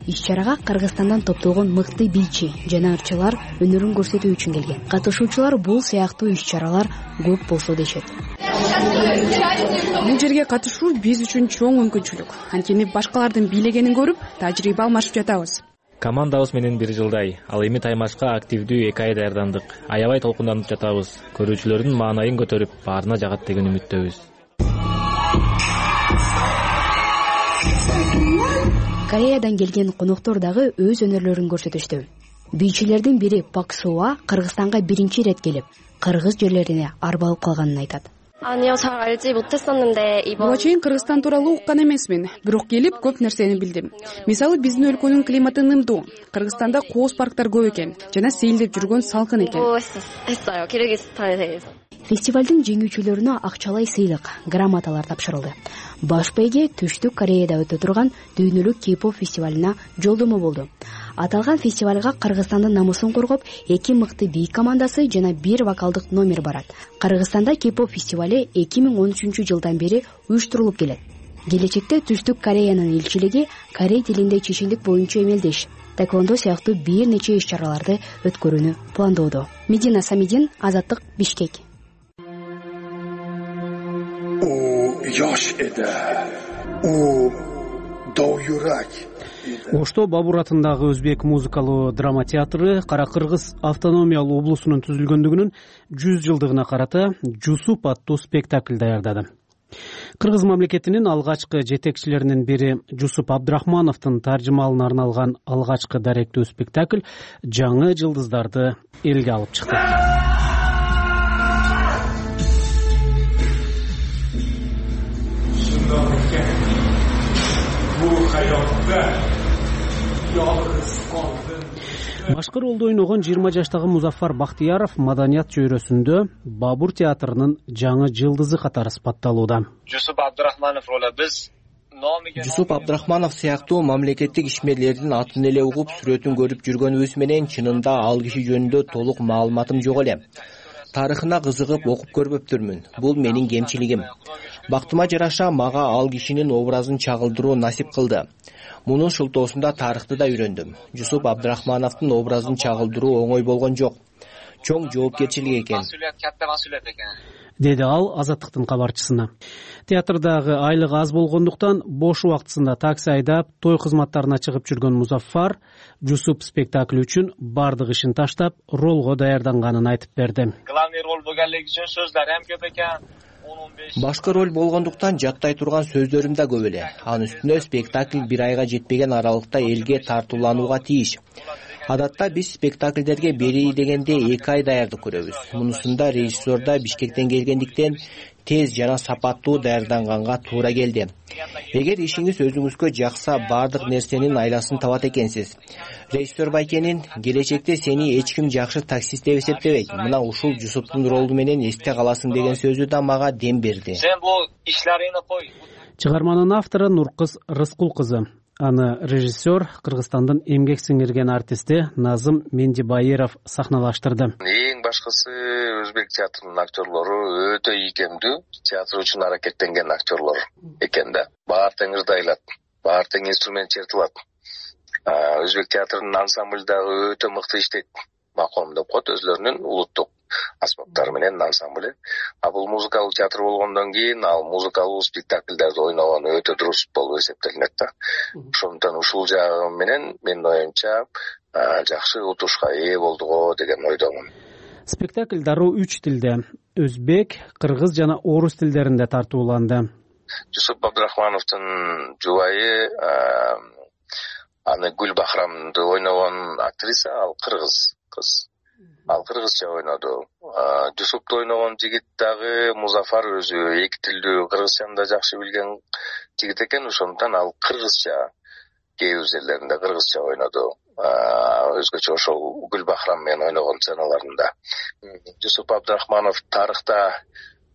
Иш-чарага Кыргызстандан топтолгон мыкты бийчи жана ырчылар өнөрүн көрсөтүү үчүн келген. Катышуучулар бул сыяктуу иш-чаралар көп болсо дешет. Бул жерге катышуу биз үчүн чоң мүмкүнчүлүк. Анткени башкалардын бийлегенин көрүп, тажрыйба алмашып жатабыз. Командабыз менен бир жылдай, ал эми таймашка активдүү эки ай даярдандык. Аябай толкунданып жатабыз. Көрүүчүлөрдүн маанайын көтөрүп, баарына жагат деген үмүттөбүз. Кореядан келген коноктор дагы өз өнөрлөрүн көрсөтүштү. Бийчилердин бири Пак Суа Кыргызстанга биринчи ирет келип, кыргыз жерлерине арбалып калганын айтат. Буга чейин Кыргызстан тууралуу уккан эмесмин, бирок келип көп нерсени билдим. Мисалы, биздин өлкөнүн климаты нымдуу. Кыргызстанда кооз парктар көп экен жана сейилдеп жүргөн салкын экен. Фестивалдын жеңүүчүлөрүнө акчалай сыйлык, грамоталар тапшырылды. Баш байге Түштүк Кореяда өтө турган дүйнөлүк кей-поп фестивалына жолдомо болду. Аталган фестивалга Кыргызстандын намысын коргоп, эки мыкты бий командасы жана бир вокалдык номер барат. Кыргызстанда кей-поп фестивали эки миң он үчүнчү жылдан бери уюштурулуп келет. Келечекте Түштүк Кореянын элчилиги корей тилинде чечиндик боюнча эмелдеш, таэквондо сыяктуу бир нече иш-чараларды өткөрүүнү пландоодо. Медина Самидин, Азаттык, Бишкек. У yosh edi. У dovyurak. Ошто Бабур атындагы Өзбек музыкалуу драма театры Кара Кыргыз автономиялуу облусунун түзүлгөндүгүнүн жүз жылдыгына карата Жусуп аттуу спектакль даярдады. Кыргыз мамлекетинин алгачкы жетекчилеринин бири Жусуп Абдрахмановдун таржымалына арналган алгачкы даректүү спектакль жаңы жылдыздарды элге алып чыкты. Башкы ролду ойногон жыйырма жаштагы Музафар Бактыяров маданият чөйрөсүндө Бабур театрынын жаңы жылдызы катары сыпатталууда. Жусуп Абдрахманов ролу биз Жусуп Абдрахманов сыяктуу мамлекеттик ишмерлердин атын эле угуп сүрөтүн көрүп жүргөнүбүз менен чынында ал киши жөнүндө толук маалыматым жок эле. Тарыхына кызыгып окуп көрбөптүрмүн. Бул менин кемчилигим. Бактыма жараша мага ал кишинин образын чагылдыруу насип кылды. Мунун шылтоосунда тарыхты да үйрөндүм. Жусуп Абдрахмановдун образын чагылдыруу оңой болгон жок. Чоң жоопкерчилик экен. Деди ал Азаттыктын кабарчысына. Театрдагы айлык аз болгондуктан бош убактысында такси айдап, той кызматтарына чыгып жүргөн Музаффар Жусуп спектакли үчүн бардык ишин таштап, ролго даярданганын айтып берди. Главный роль болгонлугу үчүн сөздөр эм көп экен. Башкы роль болгондуктан жаттай турган сөздөрүм да көп эле. Анын үстүнө спектакль бир айга жетпеген аралыкта элге тартууланууга тийиш. Адатта биз спектакльдерге бери дегенде эки ай даярдык көрөбүз. Мунусунда режиссер да Бишкектен келгендиктен тез жана сапаттуу даярданганга туура келди. Эгер ишиңиз өзүңүзгө жакса, бардык нерсенин айласын табат экенсиз. Режиссер Байкенин келечекте сени эч ким жакшы таксист деп эсептебейт. Мына ушул Жусуптун ролу менен эсте каласың деген сөзү да мага дем берди. Сен бул ишларыңды кой. Чыгарманын автору Нуркыз Рыскул кызы. Аны режиссер Кыргызстандын эмгек сиңирген артисти Назым Мендибайыров сахналаштырды. Эң башкысы Өзбек театрынын актерлору өтө ийкемдүү, театр үчүн аракеттенген актерлор экен да. Баар тең ырдайлат, баар тең инструмент чертилат. Өзбек театрынын ансамбль дагы өтө мыкты иштейт. Маком деп коет, өзлөрүнүн улуттук аспаптары менен ансамбль. А бул музыкалык театр болгондон кийин ал музыкалык спектакльдерди ойногон өтө дурус болуп эсептелинет да. Ошондон ушул жагы менен менин оюмча жакшы утушка ээ болдуго деген ойдомун. Спектакль дароо үч тилде — өзбек, кыргыз жана орус тилдеринде тартууланды. Жусуп Абдрахмановдун жубайы аны Гүл Бахрамды ойногон актриса, ал кыргыз кыз. Ал кыргызча ойноду. Жусупты ойногон жигит дагы Музафар өзү эки тилдүү кыргызчаны да жакшы билген жигит экен, ошондон ал кыргызча кээ бир жерлеринде кыргызча ойноду. Өзгөчө ошол Гүл Бахрам менен ойногон сценаларында. Жусуп Абдрахманов тарыхта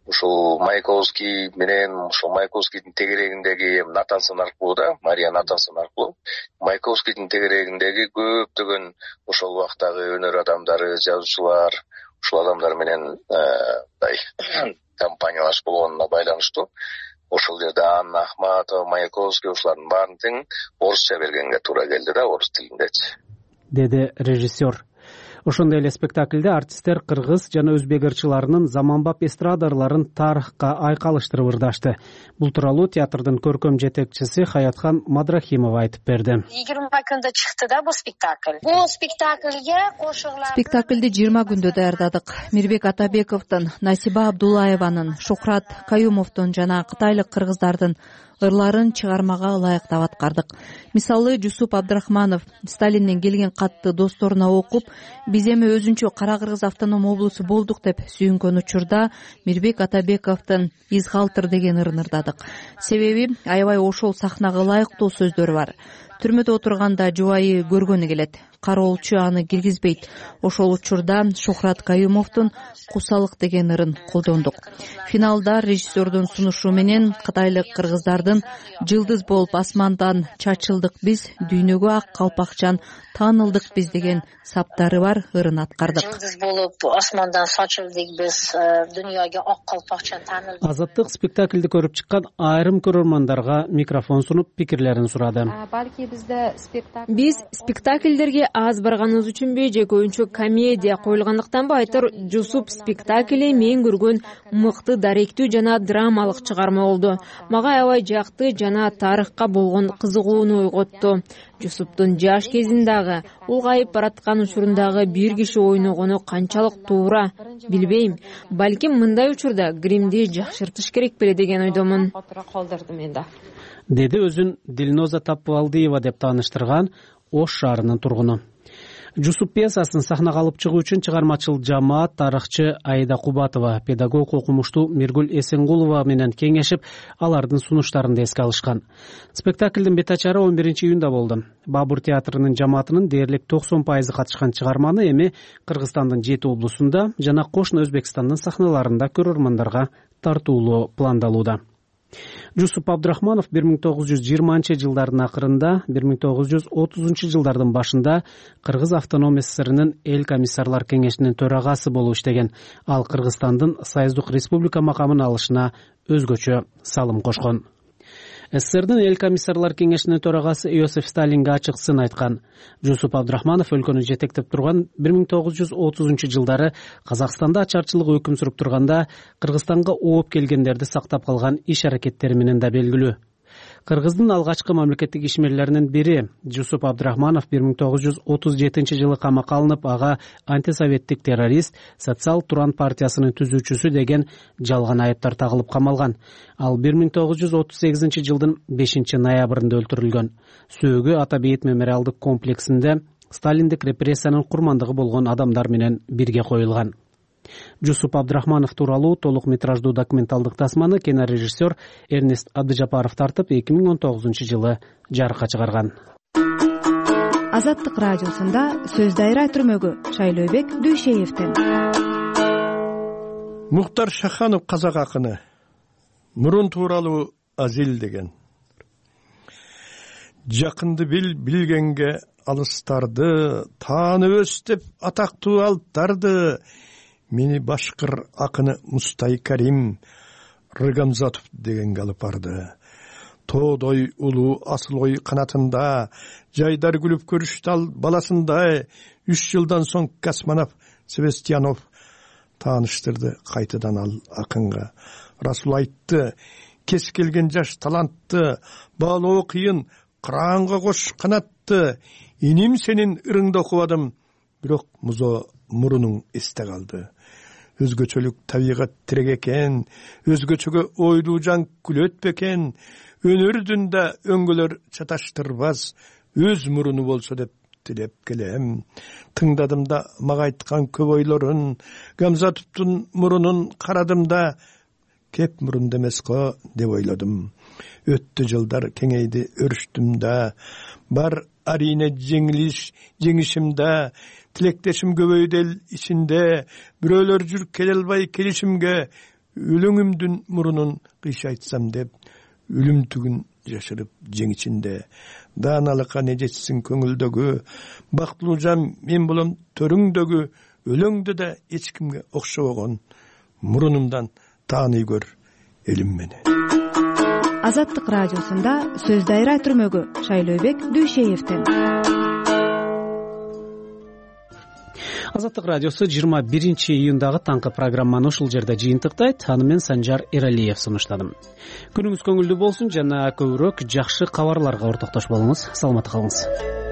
ушул Маяковский менен ушул Маяковскийдин тегерегиндеги Натансон аркылуу да, Мария Натансон аркылуу Маяковскийдин тегерегиндеги көптөгөн ошол убактагы өнөр адамдары, жазуучулар, ушул адамдар менен мындай компаниялашып болгонуна байланыштуу ошол жерде Анна Ахматова, Маяковский ушулардын баарын тең орусча бергенге туура келди да, орус тилиндечи, деди режиссер. Ошондой эле спектакльде артисттер кыргыз жана өзбек ырчыларынын заманбап эстрада ырларын тарыхка айкалыштырып ырдашты. Бул тууралуу театрдын көркөм жетекчиси Хаятхан Мадрахимова айтып берди. жыйырма күндө чыкты да бул спектакль. Бул спектакльге кошурлар. Спектакльди жыйырма күндө даярдадык. Мирбек Атабековдун, Насиба Абдулаеванын, Шухрат Каюмовдун жана кытайлык кыргыздардын ырларын чыгармага ылайыктап аткардык. Мисалы, Жусуп Абдрахманов Сталинден келген катты досторуна окуп, биз эми өзүнчө Кара Кыргыз автоном облусу болдук деп сүйүнгөн учурда Мирбек Атабековдун Изгалтыр деген ырын ырдадык. Себеби аябай ошол сахнага ылайыктуу сөздөрү бар. Түрмөдө отурганда жубайы көргөнү келет. Кароолчу аны киргизбейт. Ошол учурда Шухрат Каюмовдун Кусалык деген ырын колдондук. Финалда режиссердун сунушу менен кытайлык кыргыздардын Жылдыз болуп асмандан чачылдык биз, дүйнөгө ак калпакчан таанылдык биз деген саптары бар ырын аткардык. Жылдыз болуп асмандан чачылдык биз, дүйнөгө ак калпакчан таанылдык. Азаттык спектакльди көрүп чыккан айрым көрөрмандарга микрофон сунуп пикирлерин сурады. Балки бизде спектакль биз спектакльдерге аз барганыбыз үчүнбү же көбүнчө комедия коюлгандыктанбы айтор, Жусуп спектакли мен көргөн мыкты даректүү жана драмалык чыгарма болду. Мага аябай жакты жана тарыхка болгон кызыгууну ойготту. Жусуптун жаш кезиндагы, улгайып бараткан учурундагы бир киши ойногону канчалык туура билбейм. Балким мындай учурда гримди жакшыртыш керек беле деген ойдомун. Деди өзүн Дилноза Тапвалдиева деп тааныштырган Ош шаарынын тургуну. Жусуп пьесасын сахнага алып чыгуу үчүн чыгармачыл жамаат тарыхчы Аида Кубатова, педагог окумуштуу Миргүл Эсенгулова менен кеңешип, алардын сунуштарын эске алышкан. Спектаклдин бет ачары он биринчи июнда болду. Бабур театрынын жамаатынын дээрлик токсон пайызы катышкан чыгарманы эми Кыргызстандын жети облусунда жана кошуна Өзбекстандын сахналарында көрөрмандарга тартуулоо пландалууда. Жусуп Абдрахманов бир миң тогуз жүз жыйырманчы жылдардын акырында, бир миң тогуз жүз отузунчу жылдардын башында Кыргыз автоном СССРнын эл комиссарлар кеңешинин төрагасы болуп иштеген. Ал Кыргызстандын Союздук республика макамын алышына өзгөчө салым кошкон. СССРдин эл комиссарлар кеңешинин төрагасы Иосиф Сталинге ачык сын айткан. Жусуп Абдрахманов өлкөнү жетектеп турган бир миң тогуз жүз отузунчу жылдары Казакстанда ачарчылык өкүм сүрүп турганда Кыргызстанга ооп келгендерди сактап калган иш аракеттери менен да белгилүү. Кыргыздын алгачкы мамлекеттик ишмерлеринин бири Жусуп Абдрахманов бир миң тогуз жүз отуз жетинчи жылы камакка алынып, ага антисоветтик террорист, Социал Туран партиясынын түзүүчүсү деген жалган айыптар тагылып камалган. Ал бир миң тогуз жүз отуз сегизинчи жылдын бешинчи ноябрында өлтүрүлгөн. Сөөгү Ата Бейит мемориалдык комплексинде Сталиндик репрессиянын курмандыгы болгон адамдар менен бирге коюлган. Жусуп Абдрахманов тууралуу толук метраждуу документалдык тасманы кинорежиссер Эрнест Абдыжапаров тартып эки миң он тогузунчу жылы жарыкка чыгарган. Азаттык радиосунда сөз дайра түрмөгү Шайлообек Дүйшеевден. Мухтар Шаханов казак акыны мурун тууралуу Азил деген. Жакынды бил билгенге алыстарды, таанып өс деп атактуу алыптарды. Мени башкыр акыны Мустай Карим Рыгамзатов дегенге алып барды. Тоодой улуу асыл ой канатында жайдар күлүп көрүштү ал баласындай. Үч жылдан соң Касманов Себестьянов тааныштырды кайтадан ал акынга. Расул айтты, кес келген жаш талантты, баалоо кыйын, кыраанга кош канатты. Иним сенин ырыңды окубадым, бирок музо мурунуң эсте калды. Өзгөчөлүк табигат тирек экен, өзгөчөгө ойлуу жан күлөт бекен. Өнөрдүн да өңгөлөр чаташтырбас, өз муруну болсо деп тилеп келем. Тыңдадым да мага айткан көп ойлорун, Гамзатовдун мурунун карадым да, кеп мурунда эмес го деп ойлодум. Өттү жылдар кеңейди өрүштүм да, бар арине жеңилиш жеңишимде, тилектешим көбөйдү эл ичинде, бирөөлөр жүр келе албай келишимге, өлөңүмдүн мурунун кыйшайтсам деп өлүмтүгүн жашырып жең ичинде дааналыкка не жетсин көңүлдөгү бактылуу жан мен болом төрүңдөгү өлөңдө да эч кимге окшобогон мурунумдан тааный көр элим мени. Азаттык радиосунда сөз дайра түрмөгү Шайлообек Дүйшеевден. Азаттык радиосу жыйырма биринчи июндагы таңкы программаны ушул жерде жыйынтыктайт. Аны мен Санжар Эралиев сунуштадым. Күнүңүз көңүлдүү болсун жана көбүрөөк жакшы кабарларга ортоктош болуңуз. Саламатта калыңыз.